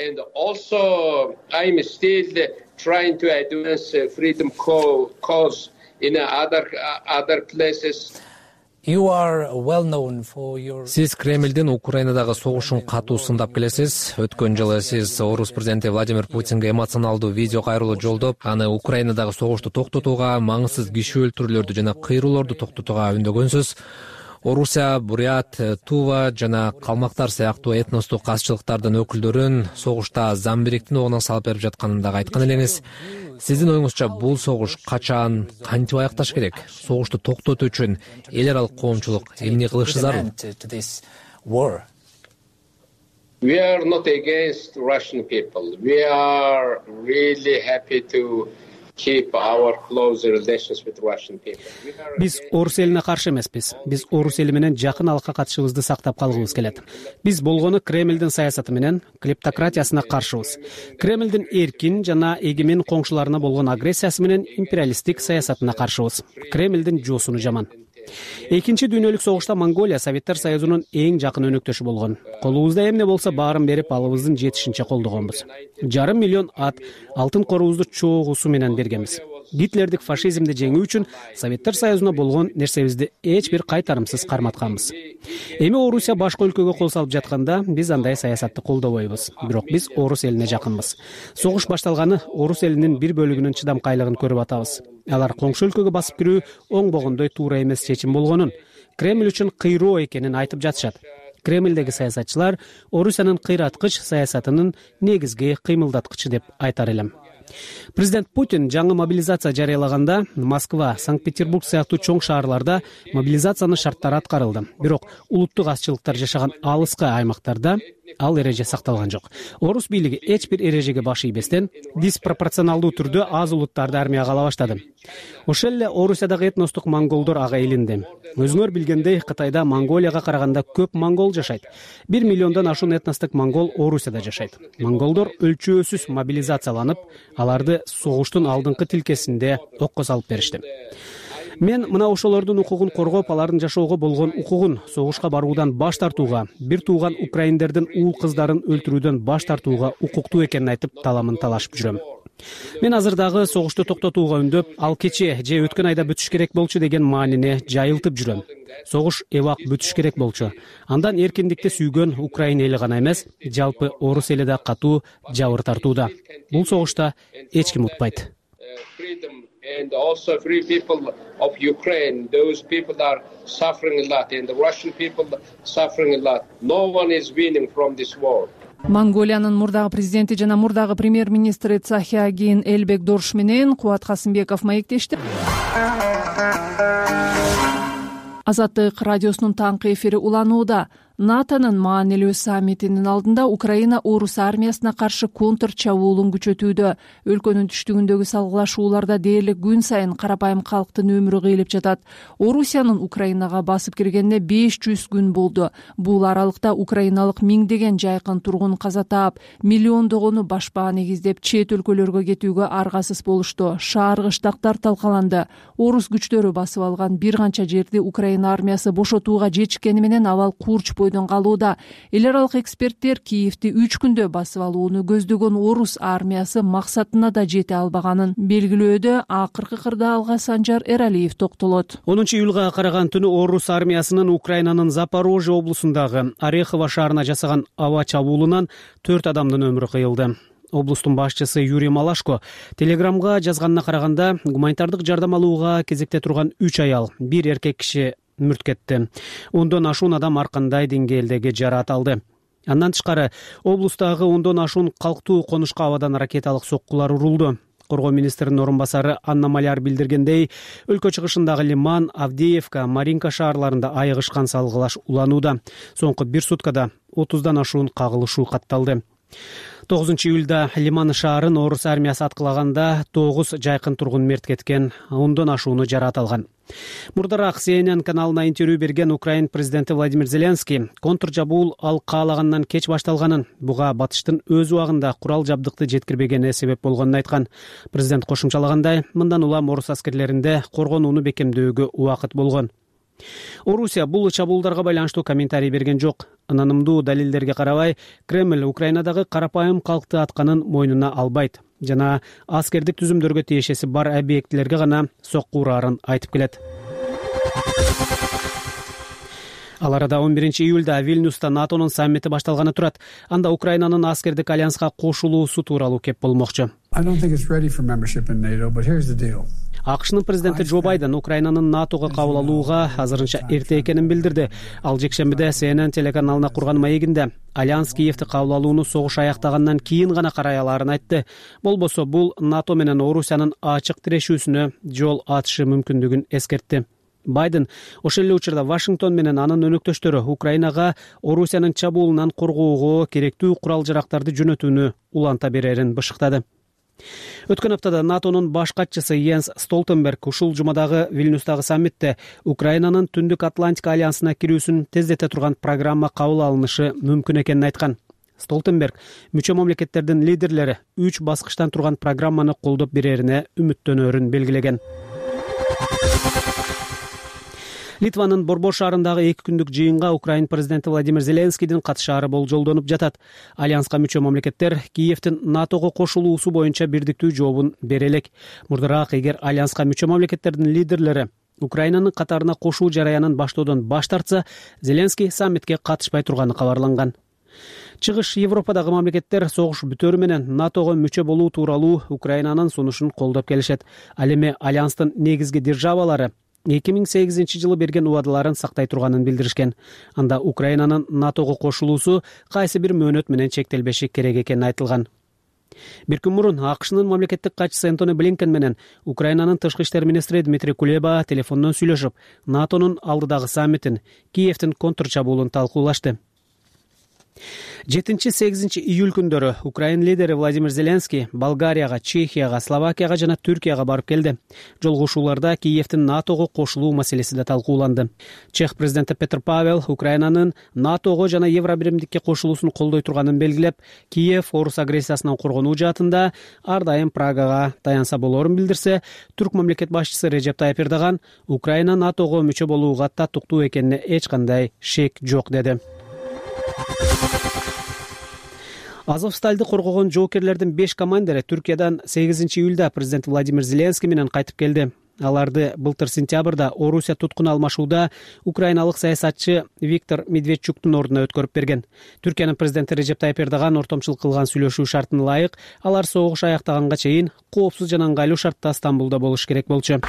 Сиз Кремлдин Украинадагы согушун катуу сындап келесиз. Өткөн жылы сиз Орус президенти Владимир Путинге эмоционалдуу видео кайрылуу жолдоп, аны Украинадагы согушту токтотууга, маңызсыз киши өлтүрүүлөрдү жана кыйроолорду токтотууга үндөгөнсүз. Орусия, Бурят, Тува жана калмактар сыяктуу этностук казчылыктардын өкүлдөрүн согушта Замбириктин огуна салып берип жатканын дагы айткан элеңиз. Сиздин оюңузча бул согуш качан, кантип аякташ керек? Согушту токтотуу үчүн эл аралык коомчулук эмне кылышы зарыл? We are not against Russian people. We are really happy to keep our close relations with Russian people. Биз орус элине каршы эмеспиз. Биз орус эли менен жакын алака катышыбызды сактап калгыбыз келет. Биз болгону Кремлдин саясаты менен клептократиясына каршыбыз. Кремлдин эркин жана эгемен коңшуларына болгон агрессиясы менен империалисттик саясатына каршыбыз. Кремлдин жоосуну жаман. Экинчи дүйнөлүк согушта Монголия Советтер Союзунун эң жакын өнөктөшү болгон. Колубузда эмне болсо баарын берип алыбыздын жетишинче колдогонбуз. 500 000 ат, алтын корубузду чогуусу менен бергенбиз. Гитлердик фашизмди жеңүү үчүн Советтер Союзуна болгон нерсебизди эч бир кайтарымсыз карматканбыз. Эми Орусия башка өлкөгө кол салып жатканда биз андай саясатты колдобойбуз. Бирок биз орус элине жакынбыз. Согуш башталганы орус элинин бир бөлүгүнүн чыдамкайлыгын көрүп атабыз. Алар коңшу өлкөгө басып кирүү оңбогондой туура эмес чечим болгонун, Кремль үчүн кыйроо экенин айтып жатышат. Кремлдеги саясатчылар Орусиянын кыйраткыч саясатынын негизги кыймылдаткычы деп айтар элем. Президент Путин жаңы мобилизация жарыялаганда Москва, Санкт-Петербург сыяктуу чоң шаарларда мобилизациянын шарттары аткарылды. Бирок улуттук азчылыктар жашаган алыскы аймактарда ал эреже сакталган жок. Орус бийлиги эч бир эрежеге баш ийбестен диспропорционалдуу түрдө аз улуттарды армияга ала баштады. Ошол эле Орусиядагы этностук монголдор ага илинди. Өзүңөр билгендей, Кытайда Монголияга караганда көп монгол жашайт. 1 миллиондон ашуун этностук монгол Орусияда жашайт. Монголдор өлчөөсүз мобилизацияланып, аларды согуштун алдыңкы тилкесинде окко салып беришти. Мен мына ошолордун укугун коргоп, алардын жашоого болгон укугун, согушка баруудан баш тартууга, бир тууган украиндердин уул кыздарын өлтүрүүдөн баш тартууга укуктуу экенин айтып таламын талашып жүрөм. Мен азыр дагы согушту токтотууга үндөп, ал кече же өткөн айда бүтүш керек болчу деген маанине жайылтып жүрөм. Согуш эбак бүтүш керек болчу. Андан эркиндикти сүйгөн Украина эли гана эмес, жалпы орус эли да катуу жабыр тартууда. Бул согушта эч ким утпайт. And also free people of Ukraine, those people are suffering a lot, and the Russian people suffering a lot. No one is winning from this war. Монголиянын мурдагы президенти жана мурдагы премьер-министри Цахиагин Элбекдорш менен Кубат Касымбеков маектешти. Азаттык радиосунун таңкы эфири уланууда. НАТОнун маанилүү саммитинин алдында Украина орус армиясына каршы контр чабуулун күчөтүүдө. Өлкөнүн түштүгүндөгү салгылашууларда дээрлик күн сайын карапайым калктын өмүрү кыйылып жатат. Орусиянын Украинага басып киргенине 500 күн болду. Бул аралыкта украиналык миңдеген жайкын тургун каза таап, миллиондогону башпаа негиздеп чет өлкөлөргө кетүүгө аргасыз болушту. Шаар кыштактар талкаланды. Орус күчтөрү басып алган бир канча жерди Украина армиясы бошотууга жетишкени менен абал курч калууда. Эл аралык эксперттер Киевди 3 күндө басып алууну көздөгөн орус армиясы максатына да жете албаганын белгилөөдө акыркы кырда алга Санжар Эралиев токтолот. 10-июлга караган түнү орус армиясынын Украинанын Запорожье облусундагы Орехово шаарына жасаган аба чабуулунан 4 адамдын өмүрү кыйылды. Облустун башчысы Юрий Малашко Телеграмга жазганына караганда гуманитардык жардам алууга кезекте турган 3 аял, 1 эркек киши мүрт кетти. Ондон ашуун адам ар кандай деңгээлдеги жараат алды. Андан тышкары облустагы ондон ашуун калктуу конушка абадан ракеталык соккулар урулду. коргоо министринин орун басары Анна Маляр билдиргендей, өлкө чыгышындагы Лиман, Авдеевка, Маринка шаарларында айыгышкан салгылаш уланууда. Соңку 1 суткада 30дан ашуун кагылышуу катталды. 9-июлда Лиман шаарын орус армиясы аткылаганда 9 жайкын тургун мерт кеткен, 10дон ашууну жаракат алган. Мурдараак CNN каналына интервью берген Украин президенти Владимир Зеленский контр жабуул ал каалагандан кеч башталганын, буга батыштын өз убагында курал жабдыкты жеткирбегени себеп болгонун айткан. Президент кошумчалагандай, мындан улам орус аскерлеринде коргонууну бекемдөөгө убакыт болгон. Орусия бул чабуулдарга байланыштуу комментарий берген жок. Анонымдуу далилдерге карабай, Кремль Украинадагы карапайым калкты атканын мойнуна албайт жана аскердик түзүмдөргө тиешеси бар объектилерге гана сокку урарын айтып келет. Ал арада 11-июлда Вильнюста НАТОнун саммити башталганы турат. Анда Украинанын аскердик альянска кошулуусу тууралуу кеп болмокчу. АКШнын президенти Джо Байден Украинанын НАТОго кабыл алууга азырынча эрте экенин билдирди. Ал жекшембиде CNN телеканалына курган маегинде Альянс Киевти кабыл алууну согуш аяктагандан кийин гана карай алаарын айтты. Болбосо бул НАТО менен Орусиянын ачык тирешүүсүнө жол ачышы мүмкүндүгүн эскертти. Байден ошол эле учурда Вашингтон менен анын өнөктөштөрү Украинага Орусиянын чабуулунан коргоого керектүү курал-жарактарды жөнөтүүнү уланта берерин бышыктады. Өткөн аптада НАТОнун баш катчысы Йенс Столтенберг ушул жумадагы Вильнюстагы саммитте Украинанын Түндүк Атлантика альянсына кирүүсүн тездете турган программа кабыл алынышы мүмкүн экенин айткан. Столтенберг мүчө мамлекеттердин лидерлери 3 баскычтан турган программаны колдоп берерине үмүттөнөрүн белгилеген. Литванын Борбор шаарындагы 2 күндүк жыйынга Украин президенти Владимир Зеленскийдин катышаары болжолдонуп жатат. Альянска мүчө мамлекеттер Киевтин НАТОго кошулуусу боюнча бирдиктүү жообун бере элек. Мурдараак эгер альянска мүчө мамлекеттердин лидерлери Украинанын катарына кошуу жараянын баштоодон баш тартса, Зеленский саммитке катышпай турганы кабарланган. Чыгыш Европадагы мамлекеттер согуш бүтөрү менен НАТОго мүчө болуу тууралуу Украинанын сунушун колдоп келишет. Ал эми альянстын негизги державалары 2008-жылы берген убадаларын сактай турганын билдиришкен. Анда Украинанын НАТОго кошулуусу кайсы бир мөөнөт менен чектелбеши керек экени айтылган. Бир күн мурун АКШнын мамлекеттик катчысы Энтони Блинкен менен Украинанын тышкы иштер министри Дмитрий Кулеба телефондон сүйлөшүп, НАТОнун алдыдагы саммитин, Киевтин контрчабуулун талкуулашты. 7-8 июль күндөрү Украин лидери Владимир Зеленский Болгарияга, Чехияга, Словакияга жана Түркияга барып келди. Жолугушууларда Киевтин НАТОго кошулуу маселеси да талкууланды. Чех президенти Петр Павел Украинанын НАТОго жана Евробиримдикке кошулуусун колдой турганын белгилеп, Киев орус агрессиясынан коргонуу жаатында ар дайым Прагага таянса болорун билдирсе, түрк мамлекет башчысы Режеп Тайып Эрдоган Украина НАТОго мүчө болууга татыктуу экенине эч кандай шек жок деди. Азовсталды коргогон жоокерлердин 5 командири Түркиядан 8-июлда президент Владимир Зеленский менен кайтып келди. Аларды былтыр сентябрда Орусия туткун алмашууда украиналык саясатчы Виктор Медведчуктун ордуна өткөрүп берген. Түркиянын президенти Режеп Тайып Эрдоган ортомчулук кылган сүйлөшүү шартына ылайык, алар согуш аяктаганга чейин коопсуз жана ыңгайлуу шартта Стамбулда болуш керек болчу.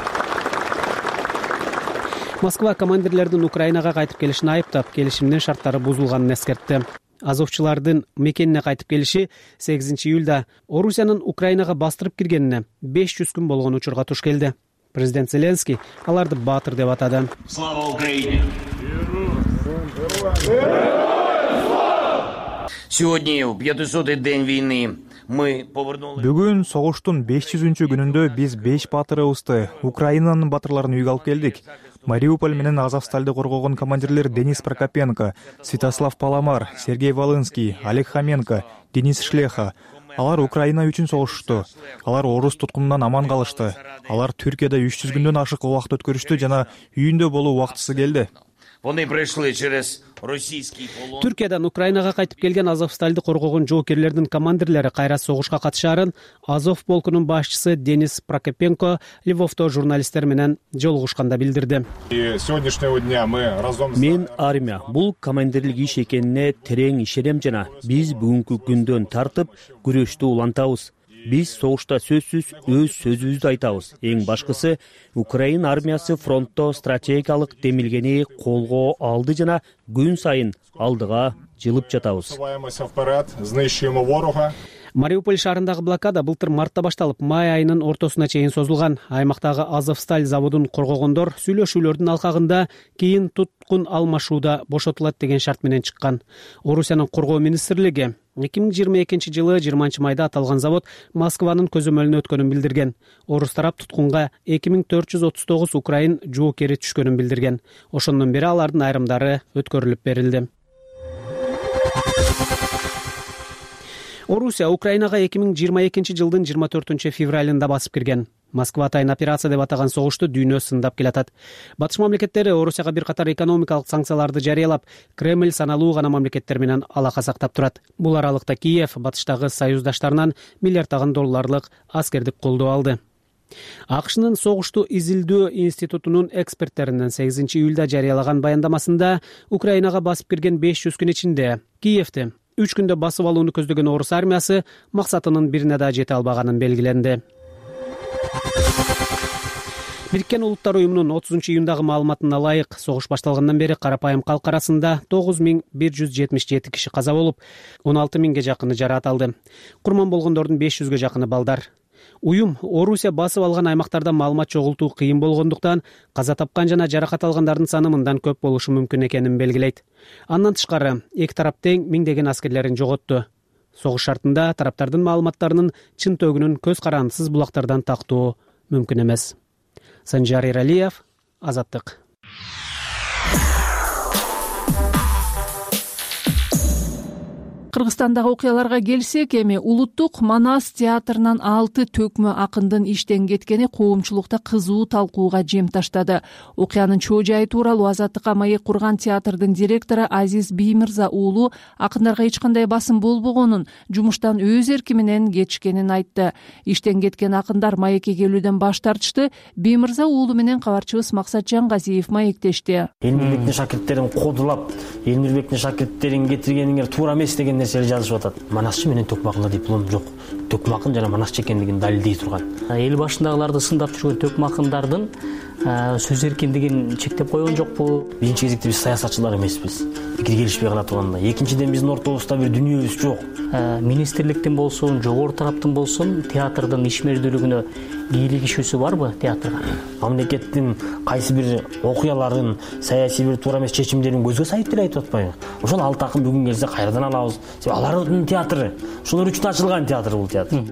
Москва командирлердин Украинага кайтып келишин айыптап, келишимдин шарттары бузулганын эскертти. Азовчулардын мекенине кайтып келиши 8-июлда Орусиянын Украинага бастырып киргенине 500 күн болгон учурга туш келди. Президент Зеленский аларды баатыр деп атады. Слава Украине! Сегодня в 500-й день войны Бүгүн согуштун 500-күнүндө биз 5 баатырыбызды, Украинанын баатырларын үйгө алып келдик. Мариуполь менен Азовсталды коргогон командирлер Денис Прокопенко, Святослав Паламар, Сергей Волынский, Олег Хоменко, Денис Шлеха. Алар Украина үчүн согушту. Алар орус туткунунан аман калышты. Алар Түркияда 300 күндөн ашык убакыт өткөрүштү жана үйүндө болуу убактысы келди. Түркиядан Украинага кайтып келген Азовсталды коргогон жоокерлердин командирлери кайра согушка катышаарын Азов полкунун башчысы Денис Прокопенко Львовто журналисттер менен жолугушканда билдирди. Мен армия бул командирлик иш экенине терең ишенем жана биз бүгүнкү күндөн тартып күрөштү улантабыз. Биз согушта сөзсүз өз сөзүбүздү айтабыз. Эң башкысы Украин армиясы фронтто стратегиялык демилгени колго алды жана күн сайын алдыга жылып жатабыз. Мариуполь шаарындагы блокада былтыр мартта башталып, май айынын ортосуна чейин созулган. Аймактагы Азовсталь заводун коргогондор сүйлөшүүлөрдүн алкагында кийин туткун алмашууда бошотулат деген шарт менен чыккан. Орусиянын коргоо министрлиги 2022 жылы 20 майда аталган завод Москванын көзөмөлүнө өткөнүн билдирген. Орус тарап туткунга 2439 украин жоокери түшкөнүн билдирген. Ошондон бери алардын айрымдары өткөрүлүп берилди. Орусия Украинага 2022 жылдын 24 февралында басып кирген. Москва атайын операция деп атаган согушту дүйнө сындап келатат. Батыш мамлекеттери Орусияга бир катар экономикалык санкцияларды жарыялап, Кремль саналуу гана мамлекеттер менен алака сактап турат. Бул аралыкта Киев батыштагы союздаштарынан миллиарддаган долларлык аскердик колдоо алды. АКШнын согушту изилдөө институтунун эксперттеринин 8 июлда жарыялаган баяндамасында Украинага басып кирген 500 күн ичинде Киевти 3 күндө басып алууну көздөгөн орус армиясы максатынын бирине да жете албаганын белгиленди. Бириккен Улуттар уюмунун 30 июндагы маалыматына ылайык, согуш башталгандан бери карапайым калк арасында 9177 киши каза болуп, 16000ге жакыны жараат алды. Курман болгондордун 500ге жакыны балдар. Уюм Орусия басып алган аймактарда маалымат чогултуу кыйын болгондуктан каза тапкан жана жаракат алгандардын саны мындан көп болушу мүмкүн экенин белгилейт. Андан тышкары, эки тарап тең миңдеген аскерлерин жоготту. Согуш шартында тараптардын маалыматтарынын чын төгүнүн көз карандысыз булактардан тактоо мүмкүн эмес. Санжар Иралиев, Азаттык. Кыргызстандагы окуяларга келсек, эми Улуттук Манас театрынан 6 төкмө акындын иштен кеткени коомчулукта кызуу талкууга жем таштады. Окуянын чоо жайы тууралуу Азаттыкка маек курган театрдын директору Азиз Биймырза уулу акындарга эч кандай басым болбогонун, жумуштан өз эрки менен кетишкенин айтты. Иштен кеткен акындар маекке келүүдөн баш тартышты. Биймырза уулу менен кабарчыбыз Максат Жангазиев маектешти. Элмирбектин шакирттерин кодулап, Элмирбектин шакирттерин кетиргениңер туура эмес деген нерселер жазышып атат. Манасчы менен төкмө акында диплом жок. Төкмө акын жана манасчы экендигин далилдей турган. Эл башындагыларды сындап жүргөн төкмө акындардын сөз эркиндигин чектеп койгон жокпу? Биринчи кезекте биз саясатчылар эмеспиз. Пикир келишпей кала турганда. Экинчиден биздин ортобузда бир дүнүйөбүз жок. Министрликтин болсун, жогору тараптын болсун, театрдын ишмердүүлүгүнө кийлигишүүсү барбы театрга? Мамлекеттин кайсы бир окуяларын, саясий бир туура эмес чечимдерин көзгө сайып деле айтып атпайбы? Ошол 6 акын бүгүн келсе кайрадан алабыз. Алардын театры, ошолор үчүн ачылган театр бул театр.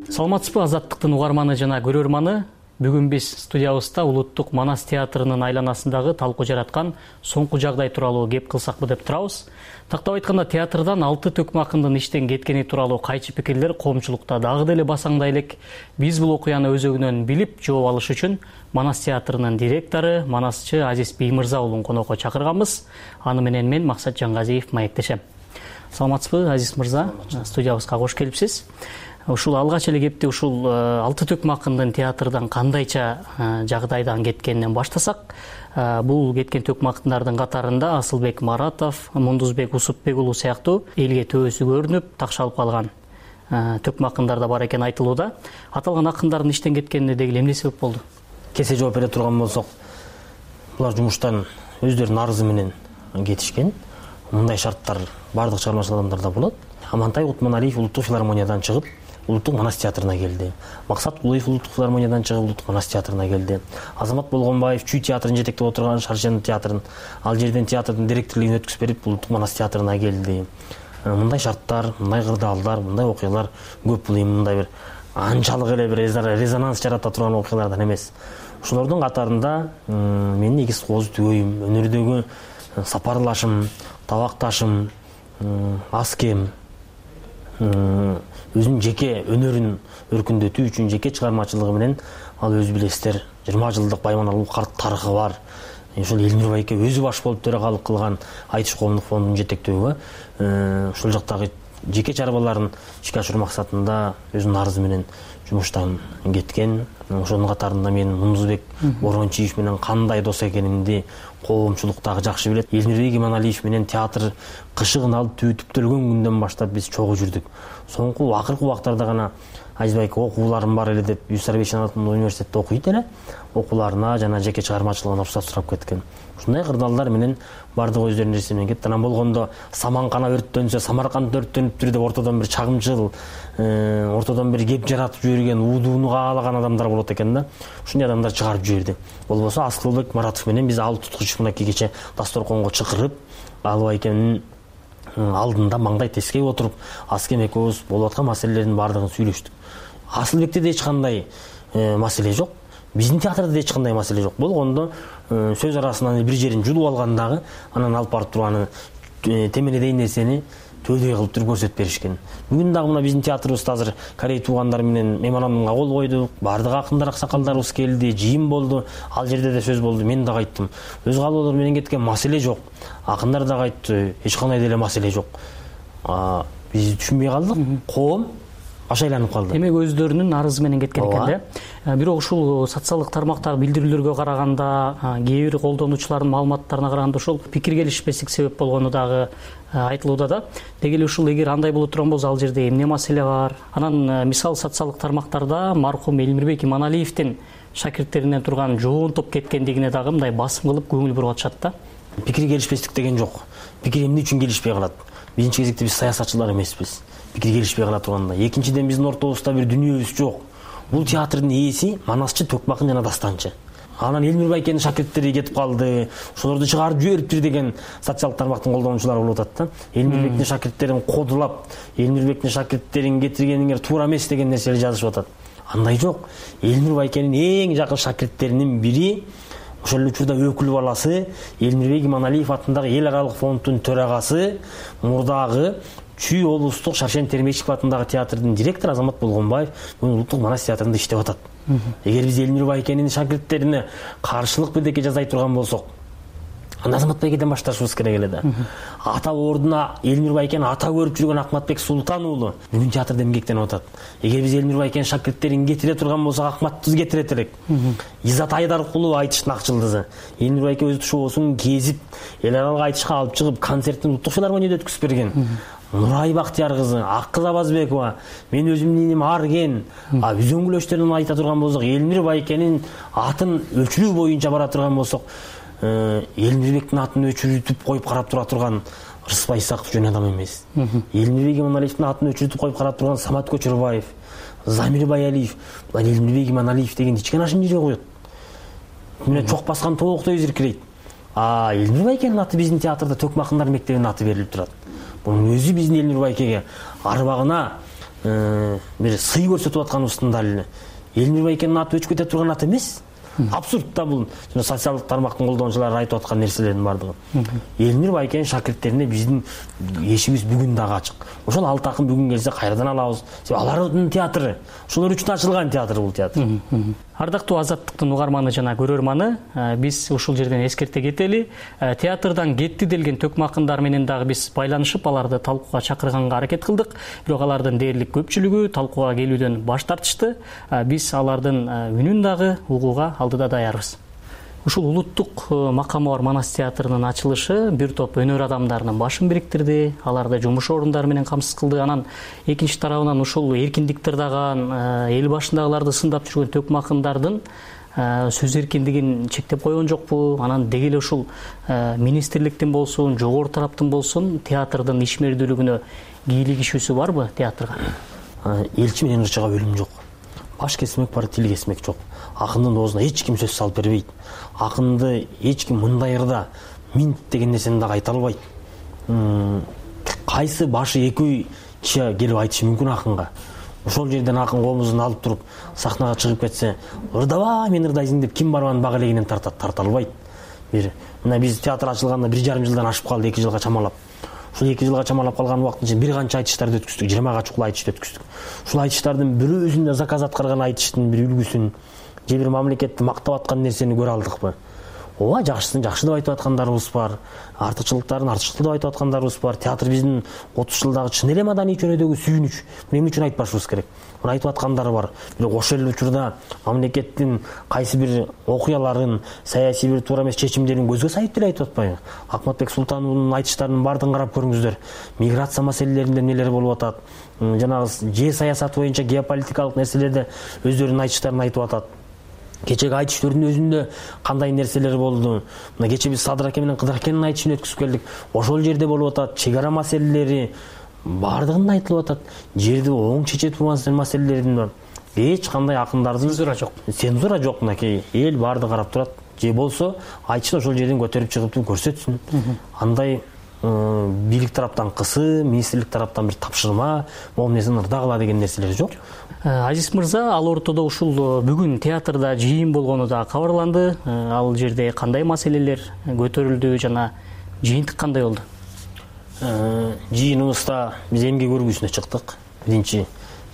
Саламатсызбы, Азаттыктын угарманы жана көрөрманы? Бүгүн биз студиябызда Улуттук Манас театрынын айланасындагы талкуу жараткан соңку жагдай тууралуу кеп кылсакпы деп турабыз. Тактап айтканда, театрдан 6 төкмө акындын иштен кеткени тууралуу кайчы пикирлер коомчулукта дагы деле басаңдай элек. Биз бул окуяны өзөгүнөн билип, жооп алыш үчүн Манас театрынын директору, манасчы Азиз Биймырза уулун конокко чакырганбыз. Аны менен мен Максат Жангазиев маектешем. Саламатсызбы, Азиз мырза? Студиябызга кош келипсиз. Ушул алгач эле кепти ушул 6 төкмө акындын театрдан кандайча жагдайдан кеткенинен баштасак, бул кеткен төкмө акындардын катарында Асылбек Маратов, Мундузбек Усупбек уулу сыяктуу элге төбөсү көрүнүп, такшалып калган төкмө акындар да бар экен айтылууда. Аталган акындардын иштен кеткенине деги эмне себеп болду? Кесе жооп бере турган болсок, булар жумуштан өздөрүнүн арызы менен кетишкен. Мындай шарттар бардык чыгармачыл адамдарда болот. Амантай Утманалиев Улуттук филармониядан чыгып, Улуттук Манас театрына келди. Максат Кулуев Улуттук филармониядан чыгып, Улуттук Манас театрына келди. Азамат Болгонбаев Чүй театрын жетектеп отурган Шаршен театрын, ал жерден театрдын директорлугун өткүзүп берип, Улуттук Манас театрына келди. Мындай шарттар, мындай кырдаалдар, мындай окуялар көп. Бул мындай бир анчалык эле бир резонанс жарата турган окуялардан эмес. Ошолордун катарында менин негиз кооз түгөйүм, өнөрдөгү сапарлашым, табакташым, аскем, өзүнүн жеке өнөрүн өркүндөтүү үчүн жеке чыгармачылыгы менен ал өз билесиздер 20 жылдык Байманалуу тарыхы бар. Ошол Элмир байке өзү баш болуп төрагалык кылган Айтыш коомдук фондунун жетектөөгө ошол жактагы жеке чарбаларын ишке ашыруу максатында өзүнүн арызы менен жумуштан кеткен. Ошонун катарында мен Мундузбек Борончиев менен кандай дос экенимди коомчулук дагы жакшы билет. Элмирбек Иманалиев менен театр кышыгын алып түптөлгөн күндөн баштап биз чогуу жүрдүк. Соңку акыркы убактарда гана Азизбек окууларым бар эле деп Юсарбековичтин атындагы университетте окуйт эле. Окууларына жана жеке чыгармачылыгына уруксат сурап кеткен. Ушундай кырдаалдар менен бардыгы өздөрүнүн эсебинен кетти. Анан болгондо Саманкана өрттөнсө, Самарканд өрттөнүптүр деп ортодон бир чагымчыл, ортодон бир кеп жаратып жиберген, удууну каалаган адамдар болот экен да. Ушундай адамдар чыгарып жиберди. Болбосо Аскылбек Маратов менен биз ал туткуч мынакей кече дасторконго чакырып, Алып Айкемдин алдында маңдай тескей отуруп, Аскем экөөбүз болуп аткан маселелердин баардыгын сүйлөштүк. Асылбекте да эч кандай маселе жок. Биздин театрда да эч кандай маселе жок. Болгондо сөз арасынан бир жерин жулуп алгандагы, анан алып барып туруп аны темеледейин нерсени төдөй кылып туруп көрсөтүп беришкен. Бүгүн дагы мына биздин театрыбызда азыр Корей туугандар менен меморандумга кол койдук. Бардык акындар, аксакалдарыбыз келди, жыйын болду. Ал жерде да сөз болду. Мен дагы айттым. Өз калоолор менен кеткен маселе жок. Акындар дагы айтты, эч кандай деле маселе жок. Биз түшүнбөй калдык. Коом ашайланып калды. Демек өздөрүнүн арызы менен кеткен экен да. Бирок ушул социалдык тармактагы билдирүүлөргө караганда, кээ бир колдонуучулардын маалыматтарына караганда ушул пикир келишпестик себеп болгону дагы айтылууда да. Деги эле ушул эгер андай боло турган болсо ал жерде эмне маселе бар? Анан мисалы социалдык тармактарда мархум Элмирбек Иманалиевдин шакирттеринен турган жоон топ кеткендигине дагы мындай басым кылып көңүл буруп атышат да. Пикир келишпестик деген жок. Пикир эмне үчүн келишпей калат? Биринчи кезекте биз саясатчылар эмеспиз. Пикир келишпей кала турганда. Экинчиден биздин ортобузда бир дүнүйөбүз жок. Бул театрдын ээси Манасчы, Төкмакын жана Дастанчы. Анан Элмир Байкенин шакирттери кетип калды, ошолорду чыгарып жибериптир деген социалдык тармактын колдонуучулары болуп атат да. Элмирбектин шакирттерин кодулап, Элмирбектин шакирттерин кетиргениңер туура эмес деген нерселерди жазышып атат. Андай жок. Элмир Байкенин эң жакын шакирттеринин бири ошол эле учурда өкүл баласы Элмирбек Иманалиев атындагы эл аралык фонддун төрагасы, мурдагы Чүй облустук Шаршен Термешев атындагы театрдын директору Азамат Болгонбаев бүгүн Улуттук Манас театрында иштеп атат. Эгер биз Элмир Байкенин шакирттерине каршылык бирдеке жазай турган болсок, анда Азамат Байкеден башташыбыз керек эле да. Ата ордуна Элмир Байкен ата көрүп жүргөн Акматбек Султан уулу бүгүн театрда эмгектенип атат. Эгер биз Элмир Байкен шакирттерин кетире турган болсок, Акматты кетирет элек. Иззат Айдаркулов айтыштын акчылдызы. Элмир Байке өз шоусун кезип, эл аралык айтышка алып чыгып, концертин Улуттук филармонияда өткүзүп берген. Нурай Бактияр кызы, Аккыз Абазбекова, мен өзүмдүн иним Арген, үзөңгүлөчтөрүн айта турган болсок, Элмир Байкенин атын өчүрүү боюнча бара турган болсок, Элмирбектин атын өчүрүтүп коюп карап тура турган Рыспай Исаков жөн адам эмес. Элмирбек Иманалиевдин атын өчүрүтүп коюп карап турган Самат Көчөрбаев, Замир Баялиев, Элмирбек Иманалиев деген ичкен ашын жире коет. Мына чок баскан тооктой зиркирейт. Элмир Байкенин аты биздин театрда Төкмакындар мектебинин аты берилип турат. Бунун өзү биздин Элмир Байкеге арбагына бир сый көрсөтүп атканыбыздын далили. Элмир Байкенин аты өчүп кете турган ат эмес. Абсурд да бул. Жана социалдык тармактын колдонуучулары айтып аткан нерселердин бардыгы. Элмир Байкенин шакирттерине биздин эшигибиз бүгүн дагы ачык. Ошол алты акын бүгүн келсе кайрадан алабыз. Себеби алардын театры, ошолор үчүн ачылган театр бул театр. Ардактуу Азаттыктын угарманы жана көрөрманы, биз ушул жерден эскерте кетели. Театрдан кетти делген Төкмакындар менен дагы биз байланышып, аларды талкууга чакырганга аракет кылдык. Бирок алардын дээрлик көпчүлүгү талкууга келүүдөн баш тартышты. Биз алардын үнүн дагы угууга алдыда даярбыз. Ушул улуттук макамы бар Манас театрынын ачылышы бир топ өнөр адамдарынын башын бириктирди, аларды жумуш орундары менен камсыз кылды. Анан экинчи тарабынан ушул эркиндик тырдаган, эл башындагыларды сындап жүргөн Төкмакындардын сөз эркиндигин чектеп койгон жокпу? Анан деги эле ушул министрликтин болсун, жогору тараптын болсун театрдын ишмердүүлүгүнө кийлигишүүсү барбы театрга? Элчи менен ырчыга бөлүм жок. Баш кесмек бар, тил кесмек жок. Акындын оозуна эч ким сөз салып бербейт. Акынды эч ким мындайырда минт деген нерсени дагы айта албайт. Кайсы башы экөө киши келип айтышы мүмкүн акынга. Ошол жерден акын комузун алып туруп сахнага чыгып кетсе, ырдабай мен ырдайсың деп ким барбан бак элегинен тарта албайт. Мына биз театр ачылганда 1,5 жылдан ашып калды, 2 жылга чамалап. Ушул 2 жылга чамалап калган убакыттын ичинде бир канча айтыштарды өткүздүк, 20 чукул айтышты өткүздүк. Ушул айтыштардын бирөөсүндө заказ аткарган айтыштын бир үлгүсүн же бир мамлекетти мактап аткан нерсени көрө алдыкпы? ооба жакшысын жакшы деп айтып аткандарыбыз бар, артыкчылыктарын артыкчыл деп айтып аткандарыбыз бар. Театр биздин 30 жылдагы чын эле маданий чөнөдөгү сүйүнүч. Буну эмне үчүн айтпашыбыз керек? Буну айтып аткандары бар. Бирок ошол эле учурда мамлекеттин кайсы бир окуяларын, саясий бир туура эмес чечимдерин көзгө сайып деле айтып атпайбы? Акматбек Султановдун айтыштарынын баардыгын карап көрүңүздөр. Миграция маселелеринде эмнелер болуп атат? Жанагы же саясат боюнча геополитикалык нерселерде өздөрүнүн айтыштарын айтып атат. Кечеги айтыштөрдүн өзүндө кандай нерселер болду? Мына кече биз Садыр аке менен Кыдыр акенин айтышын өткүзүп келдик. Ошол жерде болуп атат, чек ара маселелери баардыгында айтылып атат. Жерди оң чече турган маселелердин бар. Эч кандай акындардын цензура жок. Цензура жок, мынакей эл баардыгы карап турат. Же болсо айтышты ошол жерден көтөрүп чыгып көрсөтсүн. Андай бийлик тараптан кысым, министрлик тараптан бир тапшырма, могу нерсени ырдагыла деген нерселер жок. Азиз мырза, ал ортодо ушул бүгүн театрда жыйын болгону да кабарланды. Ал жерде кандай маселелер көтөрүлдү жана жыйынтык кандай болду? Жыйыныбызда биз эмгек өргүсүнө чыктык. Биринчи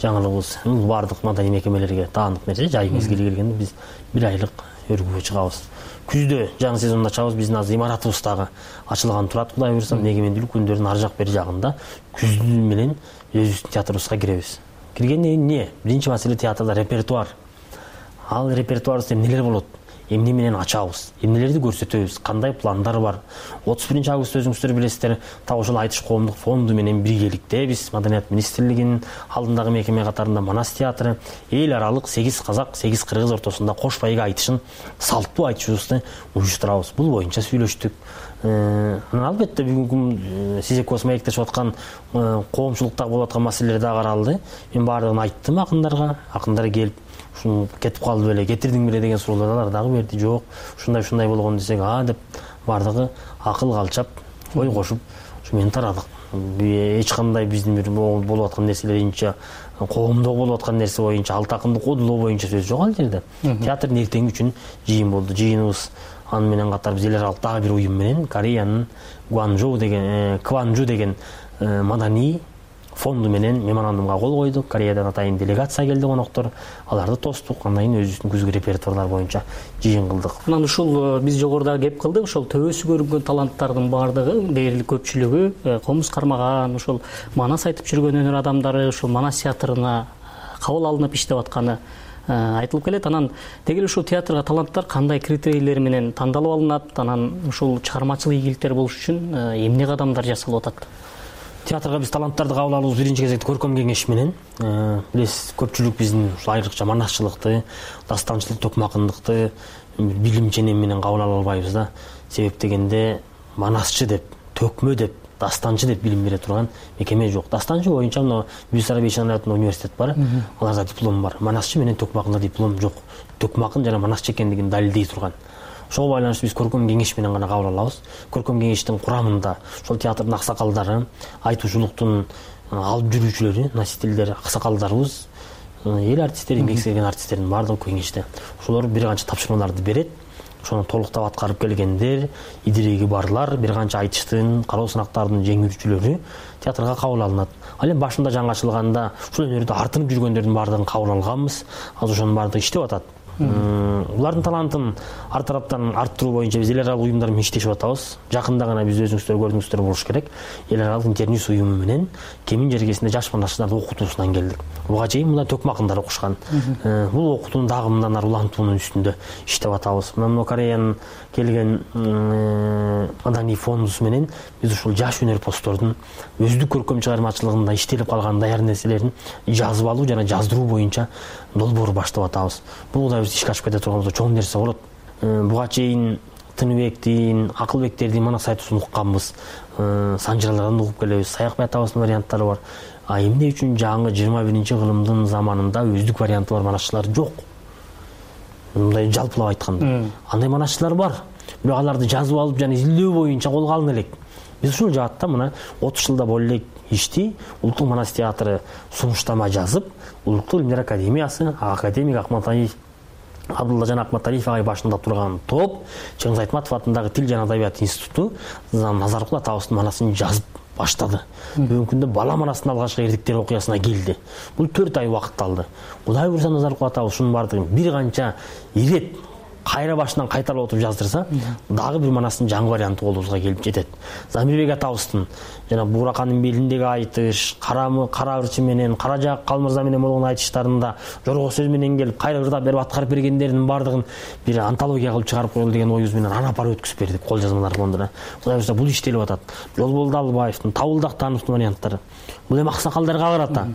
жаңылыгыбыз баардык маданий мекемелерге таандык нерсе, жай мезгили келгенде биз 1 айлык өргүгө чыгабыз. Күздө жаңы сезонду ачабыз. Биздин азыр имаратыбыз дагы ачылган турат. Кудай буйруса, эгемендүүлүк күндөрүнүн ар жак бери жагында күз менен өзүбүздүн театрыбызга киребиз. Киргенде эмне? Биринчи маселе театрда репертуар. Ал репертуарыбызда эмнелер болот? Эмне менен ачабыз? Эмнелерди көрсөтөбүз? Кандай пландар бар? 31 август өзүңүздөр билесиздер, так ошол айтыш коомдук фонду менен биргеликте биз Маданият министрлигинин алдындагы мекеме катарында Манас театры эл аралык 8 казак, 8 кыргыз ортосунда кош байга айтышын, салттуу айтышыбызды уюштурабыз. Бул боюнча сүйлөштүк. Албетте бүгүнкү сиз экөөбүз маектешип аткан коомчулукта болуп аткан маселелер да каралды. Мен баардыгын айттым акындарга. Акындар келип кетип калды беле, кетирдиң беле деген суроолор дагы берди. Жок, ушундай болгон десек, деп баардыгы акыл калчап, ой кошуп, ушу менен тарадык. Эч кандай биздин бир болуп аткан нерселеринче, коомдо болуп аткан нерсе боюнча, алты акынды кодулоо боюнча сөз жок ал жерде. Театрдын эртеңи үчүн жыйын болду. Жыйыныбыз аны менен катар биз эл аралык дагы бир уюм менен Кореянын Кванжу деген маданий фонду менен меморандумга кол койдук. Кореядан атайын делегация келди, коноктор. Аларды тостук. Андан кийин өзүбүздүн күзгү репертуарлар боюнча жыйын кылдык. Анан ушул биз жогоруда кеп кылдык, ошол төбөсү көрүнгөн таланттардын баардыгы, дээрлик көпчүлүгү комуз кармаган, ошол Манас айтып жүргөн өнөр адамдары ушул Манас театрына кабыл алынып иштеп атканы айтылып келет. Анан дегеле ушул театрга таланттар кандай критерийлер менен тандалып алынат? Анан ушул чыгармачылык ийгиликтер болуш үчүн эмне кадамдар жасалып атат? Театрга биз таланттарды кабыл алуубуз биринчи кезекте көркөм кеңеш менен. Билесиз, көпчүлүк биздин айрыкча манасчылыкты, дастанчылык, токмакындыкты билим ченем менен кабыл ала албайбыз да. Себеп дегенде манасчы деп, төкмө деп, дастанчы деп билим бере турган мекеме жок. Дастанчы боюнча мына Бүйсара Бейшанатында университет бар, аларда диплом бар. Манасчы менен токмакында диплом жок. Токмакын жана манасчы экендигин далилдей турган. Ошого байланыштуу биз көркөм кеңеш менен гана кабыл алабыз. Көркөм кеңештин курамында ошол театрдын аксакалдары, айтуучулуктун алып жүрүүчүлөрү, носительдери, аксакалдарыбыз, эл артисттери, эмгек сіңирген артисттердин баардыгы кеңеште. Ошолор бир канча тапшырмаларды берет. Ошону толуктап аткарып келгендер, идиреги барлар, бир канча айтыштын, кароо сынактардын жеңүүчүлөрү театрга кабыл алынат. Ал эми башында жаңы ачылганда ушул өнөрдү артынып жүргөндөрдүн баардыгын кабыл алганбыз. Азыр ошонун баардыгы иштеп атат. Булардын талантын ар тараптан арттыруу боюнча биз эл аралык уюмдар менен иштешип атабыз. Жакында гана биз өзүңүздөр көрдүңүздөр болуш керек. Эл аралык интернюс уюму менен Кемин жергесинде жаш манасчыларды окутуусунан келдик. Буга чейин мында төкмакындар окушкан. Бул окутуунун дагы мындан ары улантуунун үстүндө иштеп атабыз. Мына Кореянын келген маданий фондусу менен биз ушул жаш өнөрпоздордун өздүк көркөм чыгармачылыгында иштелип калган даяр нерселерин жазып алуу жана жаздыруу боюнча долбоор баштап атабыз. Бул да биз ишке ашып кете турганыбызда чоң нерсе болот. Буга чейин Тыныбектин, Акылбектердин манас айтуусун укканбыз. Санжыралардан угуп келебиз. Саякбай атабыздын варианттары бар. Эмне үчүн жаңы 21-кылымдын заманында өздүк варианты бар манасчылар жок? Мындай жалпылап айтканда. Андай манасчылар бар. Бирок аларды жазып алып жана изилдөө боюнча колго алына элек. Биз ушул жаатта мына 30 жылда боло элек ишти Улуттук Манас театры сунуштама жазып, Улуттук Илимдер Академиясы, академик Акматалиев, Абдуллажан Акматалиев агай башында турган топ, Чыңгыз Айтматов атындагы Тил жана Адабият институту Назаркул атабыздын манасын жазып баштады. Бүгүнкү күндө бала манасынын алгачкы эрдиктер окуясына келди. Бул 4 ай убакыт алды. Кудай буйруса Назаркул атабыз ушунун баардыгын бир канча ирет кайра башынан кайталап отуруп жаздырса дагы бир манастын жаңы варианты колубузга келип жетет. Замирбек атабыздын жана Бууракандын белиндеги айтыш, кара ырчы менен, кара жак Калмырза менен болгон айтыштарында жорго сөз менен келип кайра ырдап берип аткарып бергендердин баардыгын бир антология кылып чыгарып коелу деген оюбуз менен аны апарып өткүзүп бердик кол жазмалар фондуна. Кудай буюрса бул иштелип атат. Жолболду Албаевдин, Табыл Дактановдун варианттары. Бул эми аксакалдарга карата.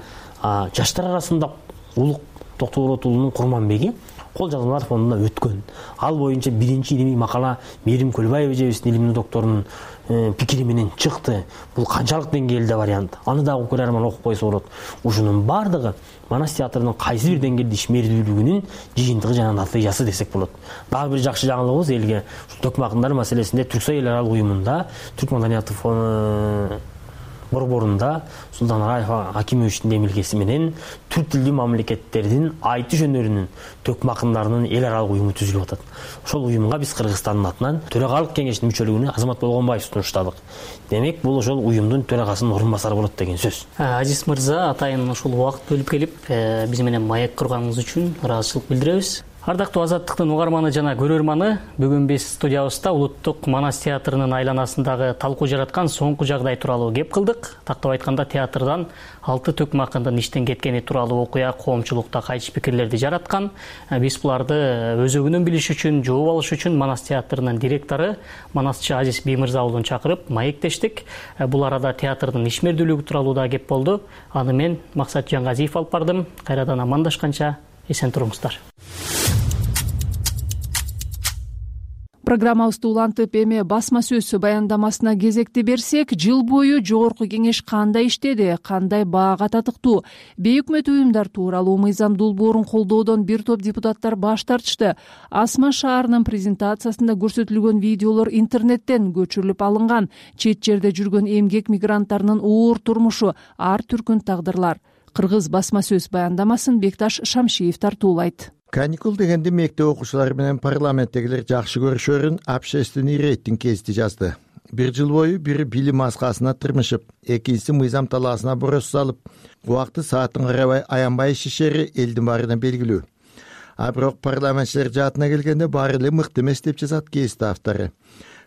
Жаштар арасында Улук Токтогород уулунун Курманбеги кол жазмалар фондуна өткөн. Ал боюнча биринчи илимий макала Мээрим Көлбаева эжебиздин илимдүү докторунун пикири менен чыкты. Бул канчалык деңгээлде вариант? Аны дагы көрөрман окуп койсо болот. Ушунун баардыгы Манас театрынын кайсы бир деңгээлде ишмердүүлүгүнүн жыйынтыгы жана натыйжасы десек болот. Дагы бир жакшы жаңылыгыбыз элге төкмө акындар маселесинде Түрксой эл аралык уюмунда Түрк маданияты борборунда Султан Раев Акимовичтин демилгеси менен түрк тилдүү мамлекеттердин айтыш өнөрүнүн төкмө акындарынын эл аралык уюму түзүлүп атат. Ошол уюмга биз Кыргызстандын атынан төрагалык кеңештин мүчөлүгүнө Азамат Болгонбаев сунуштадык. Демек, бул ошол уюмдун төрагасынын орун басары болот деген сөз. Азиз мырза, атайын ушул убакыт бөлүп келип, биз менен маек курганыңыз үчүн ыраазычылык билдиребиз. Ардактуу Азаттыктын угарманы жана көрөрманы, бүгүн биз студиябызда Улуттук Манас театрынын айланасындагы талкуу жараткан соңку жагдай тууралуу кеп кылдык. Тактап айтканда, театрдан 6 төкмө акындын иштен кеткени тууралуу окуя коомчулукта кайчы пикирлерди жараткан. Биз буларды өзөгүнөн билиш үчүн, жооп алыш үчүн Манас театрынын директору Манасчы Азиз Биймырза уулун чакырып маектештик. Бул арада театрдын ишмердүүлүгү тууралуу да кеп болду. Аны мен Максат Жаңгазиев алып бардым. Кайрадан амандашканча эсен туруңуздар. Программабызды улантып эми басма сөз баяндамасына кезекти берсек, жыл бою жогорку кеңеш кандай иштеди, кандай баага татыктуу, бейөкмөт уюмдар тууралуу мыйзам долбоорун колдоодон бир топ депутаттар баш тартышты. Асман шаарынын презентациясында көрсөтүлгөн видеолор интернеттен көчүрүлүп алынган. Чет жерде жүргөн эмгек мигранттарынын оор турмушу, ар түркүн тагдырлар. Кыргыз басма сөз баяндамасын Бекташ Шамшиев тартуулайт. Каникул дегенде мектеп окуучулары менен парламенттегилер жакшы көрүшөрүн общественный рейтинг гезити жазды. Бир жыл бою бири билим маскасына тырмышып, экинчиси мыйзам талаасына борос салып, убакты саатын карабай аянбай ишешери элдин баарына белгилүү. А бирок парламентчилер жаатына келгенде баары эле мыкты эмес деп жазат гезит автору.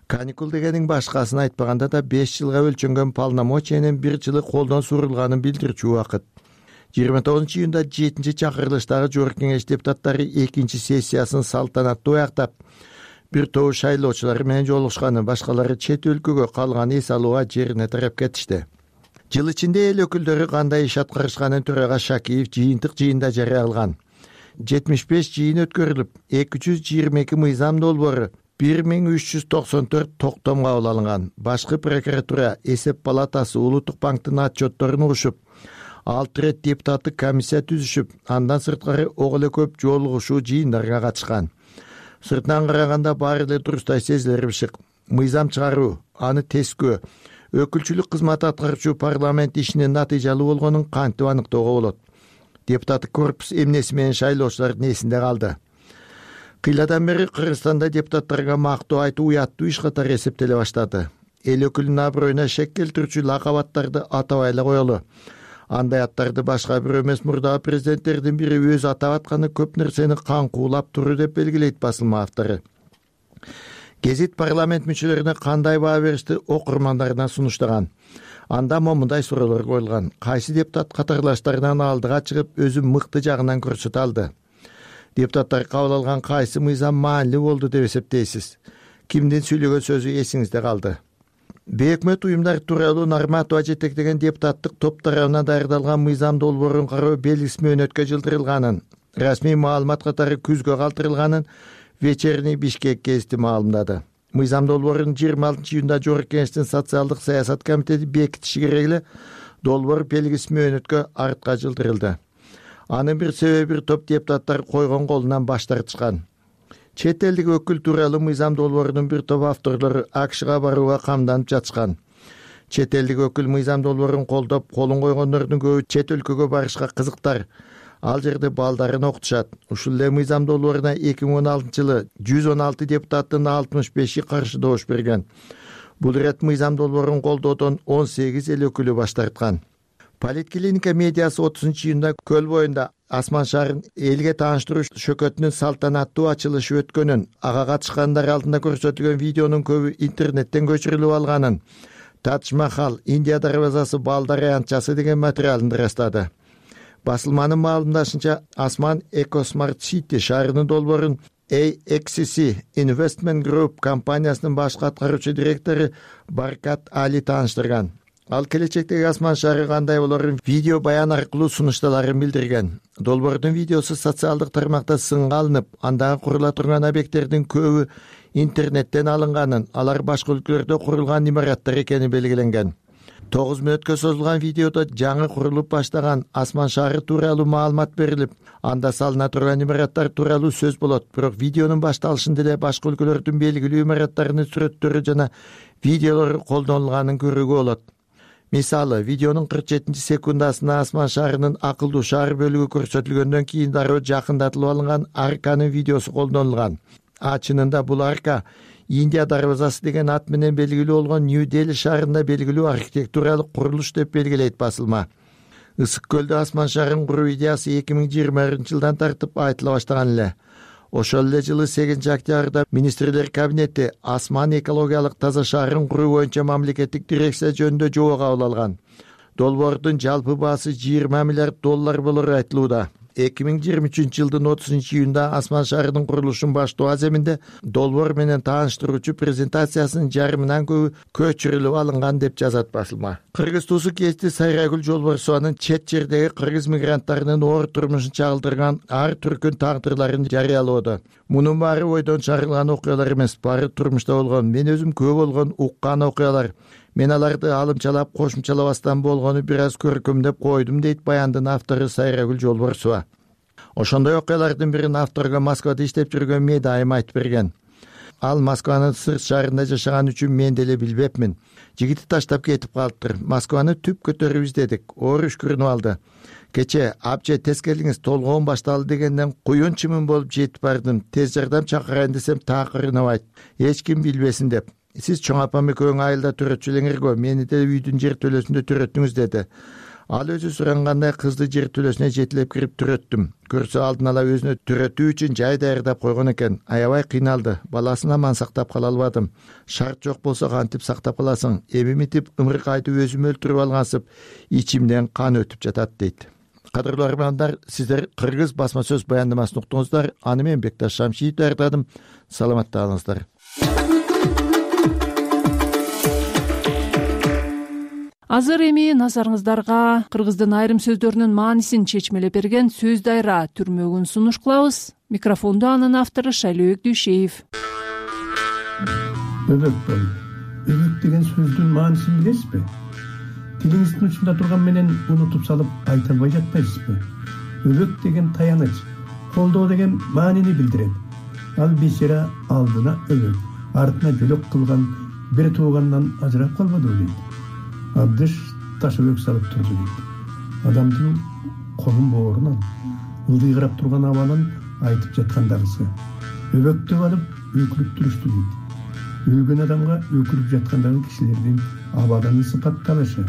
Каникул дегенин башкасын айтпаганда да 5 жылга өлчөнгөн полномочиянын бир жылы колдон сурулганын билдирчү убакыт. 29-июнда 7-чи чакырылыштагы жогорку кеңеш депутаттары 2-чи сессиясын салтанаттуу аяктап, бир топ шайлоочулар менен жолугушканы, башкалары чет өлкөгө калган эс алууга жерине тарап кетишти. Жыл ичинде эл өкүлдөрү кандай иш аткарышканын төрага Шакиев жыйынтык жыйында жарыя кылган. 75 жыйын өткөрүлүп, 222 мыйзам долбоору, 1394 токтом кабыл алынган. Башкы прокуратура, эсеп палатасы, Улуттук банктын отчетторун угушуп, 6 рет депутаттык комиссия түзүшүп, андан сырткары ок эле көп жолугушуу жыйындарга катышкан. Сыртынан караганда баары эле дурустай сезилер бышык. Мыйзам чыгаруу, аны тескөө, өкүлчүлүк кызматы аткаруучу парламент ишинин натыйжалуу болгонун кантип аныктоого болот? Депутаттык корпус эмнеси менен шайлоочулардын эсинде калды? Кыйладан бери Кыргызстанда депутаттарга мактоо айтуу уяттуу иш катары эсептеле баштады. Эл өкүлүнүн аброюна шек келтирүүчү лакабаттарды атабай эле коелу. Андай аттарды башка бирөө эмес, мурдагы президенттердин бири өзү атап атканы көп нерсени каңкуулап туруу деп белгилейт басылма автору. Гезит парламент мүчөлөрүнө кандай баа беришти окурмандарына сунуштаган. Анда момундай суроолор коюлган. Кайсы депутат катарлаштарынан алдыга чыгып, өзү мыкты жагынан көрсөтө алды? Депутаттар кабыл алган кайсы мыйзам маанилүү болду деп эсептейсиз? Кимдин сүйлөгөн сөзү эсиңизде калды? Бейөкмөт уюмдар тууралуу Нарматова жетектеген депутаттык топ тарабынан даярдалган мыйзам долбоорун кароо белгисиз мөөнөткө жылдырылганын, расмий маалымат катары күзгө калтырылганын Вечерний Бишкек гезити маалымдады. Мыйзам долбоорун 26-июнда жогорку кеңештин социалдык саясат комитети бекитиши керек эле, долбоор белгисиз мөөнөткө артка жылдырылды. Анын бир себеби бир топ депутаттар койгон колунан баш тартышкан. Чет элдик өкүл тууралуу мыйзам долбоорунун бир топ авторлору АКШга барууга камданып жатышкан. Чет элдик өкүл мыйзам долбоорун колдоп, колун койгондордун көбү чет өлкөгө барышка кызыктар. Ал жерде балдарын окутушат. Ушул эле мыйзам долбооруна 2016-жылы 116 депутаттын 65-и каршы добуш берген. Бул ирет мыйзам долбоорун колдоодон 18 эл өкүлү баш тарткан. Политклиника медиасы 30-июнда көл боюнда Асман шаарын элге тааныштыруу шөкөтүнүн салтанаттуу ачылышы өткөнүн, ага катышкандар алдында көрсөтүлгөн видеонун көбү интернеттен көчүрүлүп алганын, Тадж Махал, Индия дарбазасы балдар аянтчасы деген материалын ырастады. Басылманын маалымдашынча, Асман Экосмарт Сити шаарынын долбоорун AXCC Investment Group компаниясынын башкы аткаруучу директору Баркат Али тааныштырган. Ал келечектеги Асман шаары кандай болорун видео баян аркылуу сунушталарын билдирген. Долбоордун видеосу социалдык тармакта сынга алынып, андагы курула турган объекттердин көбү интернеттен алынганын, алар башка өлкөлөрдө курулган имараттар экени белгиленген. 9 мүнөткө созулган видеодо жаңы курулуп баштаган Асман шаары тууралуу маалымат берилип, анда салына турган имараттар тууралуу сөз болот. Бирок видеонун башталышында эле башка өлкөлөрдүн белгилүү имараттарынын сүрөттөрү жана видеолору колдонулганын көрүүгө болот. Мисалы, видеонун 47-секундасына Асман шаарынын акылдуу шаар бөлүгү көрсөтүлгөндөн кийин дароо жакындатылып алынган арканын видеосу колдонулган. Чынында бул арка Индия дарбазасы деген ат менен белгилүү болгон Нью-Дели шаарында белгилүү архитектуралык курулуш деп белгилейт басылма. Ысык көлдө Асман шаарын куруу идеясы 2020-жылдан тартып айтыла баштаган эле. Ошол эле жылы 8-октябрда министрлер кабинети Асман экологиялык таза шаарын куруу боюнча мамлекеттик дирекция жөнүндө жобо кабыл алган. Долбоордун жалпы баасы $20 миллиард болору айтылууда. 2023-жылдын 30-июнда Асман шаарынын курулушун баштоо аземинде долбоор менен тааныштыруучу презентациясынын жарымынан көбү көчүрүлүп алынган деп жазат басылма. Кыргыз туусу кести Сайрагүл Жолборсованын чет жердеги кыргыз мигранттарынын оор турмушун чагылдырган ар түркүн тагдырларын жарыялоодо. Мунун баары ойдон чыгарылган окуялар эмес, баары турмушта болгон, мен өзүм күбө болгон уккан окуялар. Мен аларды алымчалап, кошумчалабастан болгону бир аз көркөмдөп койдум, дейт баяндын автору Сайрагүл Жолборсова. Ошондой окуялардын бирин авторго Москвада иштеп жүргөн Медайым айтып берген. Ал Москванын сырт шаарында жашаган үчүн мен деле билбепмин. Жигити таштап кетип калыптыр. Москваны түп көтөрүп издедик. Оор үшкүрүнүп алды. Кече апче тез келиңиз, толгоон башталды дегенден куюн чымын болуп жетип бардым. Тез жардам чакырайын десем такырынабайт. Эч ким билбесин деп. Сиз чоң апам экөөң айылда төрөтчү элеңерго, мени да үйдүн жер төлөсүндө төрөттүңүз деди. Ал өзү сурангандай кызды жер төлөсүнө жетилеп кирип төрөттүм. Көрсө алдын ала өзүнө төрөтүү үчүн жай даярдап койгон экен. Аябай кыйналды. Баласын аман сактап кала албадым. Шарт жок болсо кантип сактап каласың? Эми митип ымырык айтып өзүм өлтүрүп алгансып, ичимден кан өтүп жатат дейт. Кадырлуу армандар, сиздер Кыргыз басма сөз баяндамасын уктуңуздар. Аны мен Бекташ Шамшиев даярдадым. Саламатта калыңыздар. Азыр эми назарыңыздарга кыргыздын айрым сөздөрүнүн маанисин чечмелеп берген сөз дайра түрмөгүн сунуш кылабыз. Микрофондо анын автору Шайлообек Дүйшеев. Өбөк деген сөздүн маанисин билесизби? Тилиңиздин учунда турган менен унутуп салып айта албай жатпайсызбы? Өбөк деген таяныч, колдоо деген маанини билдирет. Ал бечара алдына өбөк, артына жөлөк кылган бир туугандан ажырап калбадыбы дейт. Абдыш таш өбөк салып турду дейт. Адамдын колун боорунан, ылдыйгырап турган абанын айтып жаткандагысы. Өбөктүп алып өкүлүп турушту дейт. Өлгөн адамга өкүлүп жаткандагы кишилердин абаданын сыпатталышы.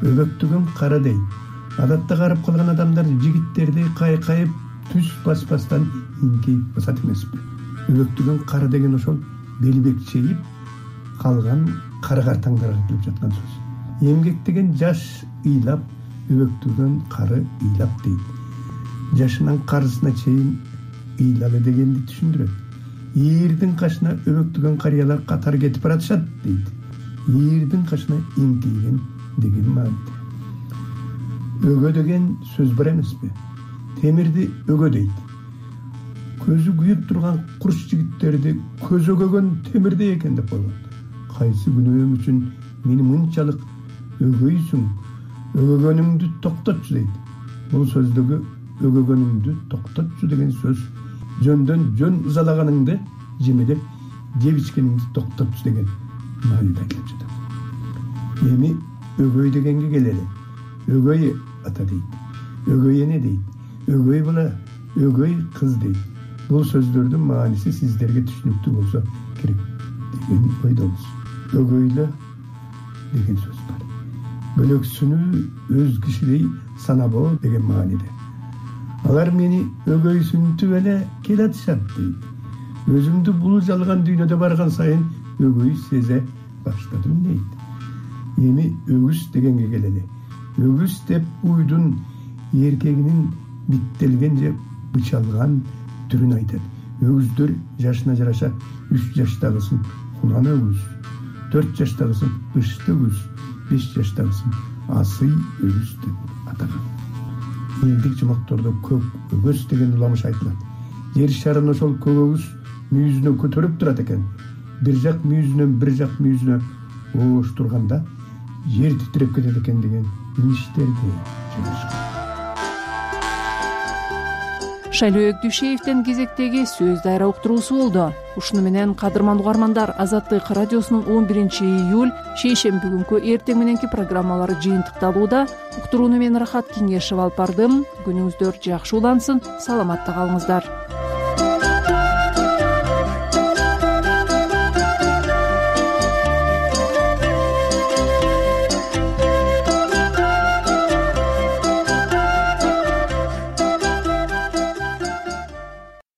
Өбөктүгүн кара дейт. Адатта карып калган адамдар жигиттерди кайкайып түз баспастан иңкейип басат эмеспи? Өбөктүгүн кара деген ошол белбекчейип калган кара картаңдарга келип жаткан сөз. Эмгек деген жаш ыйлап, өбөктүгөн кары ыйлап дейт. Жашынан карысына чейин ыйлалы дегенди түшүндүрөт. Ийирдин кашына өбөктүгөн карыялар катар кетип баратышат дейт. Ийирдин кашына эңкейген деген мааниде. Өгө деген сөз бар эмеспи? Темирди өгө дейт. Көзү күйүп турган курч жигиттерди көз өгөгөн темирдей экен деп койгон. Кайсы күнөөм үчүн мени мынчалык өгөйсүң, өгөгөнүңдү токтотчу дейт. Бул сөздөгү өгөгөнүңдү токтотчу деген сөз жөндөн жөн ызалаганыңды жемедеп жеп ичкениңди токтотчу деген мааниде келип жатат. Эми өгөй дегенге келели. Өгөй ата дейт, өгөй эне дейт, өгөй бала, өгөй кыз дейт. Бул сөздөрдүн мааниси сиздерге түшүнүктүү болсо керек деген ойдобуз. Өгөйлө деген сөз бар. бөлөксүнүү өз кишилей санабоо деген мааниде. Алар мени өгөйсүнтүп эле келатышат дейт. Өзүмдү бул жалган дүйнөдө барган сайын өгөй сезе баштадым дейт. Эми өгүз дегенге келели. Өгүз деп уйдун эркегинин биттелген же бычалган түрүн айтат. Өгүздөр жашына жараша 3 жаштагысын кунан өгүз, 4 жаштагысын ышты өгүз, 5 жаштагысын асый өгүз деп атаган. Элдик жумактордо көк өгөз деген уламыш айтылат. Жер шарын ошол көк өгүз мүйүзүнө көтөрүп турат экен. Бир жак мүйүзүнөн бир жак мүйүзүнө оош турганда жер титиреп кетет экен деген миштерди жазышкан. Шайлоо Өкдүшеевдин кезектеги сөз дайра уктуруусу болду. Ушуну менен кадырман угармандар, Азаттык радиосунун 11-июль шейшемби күнкү эртең мененки программалары жыйынтыкталууда. Уктурууну мен Рахат Кеңешев алып бардым. Күнүңүздөр жакшы улансын, саламатта калыңыздар.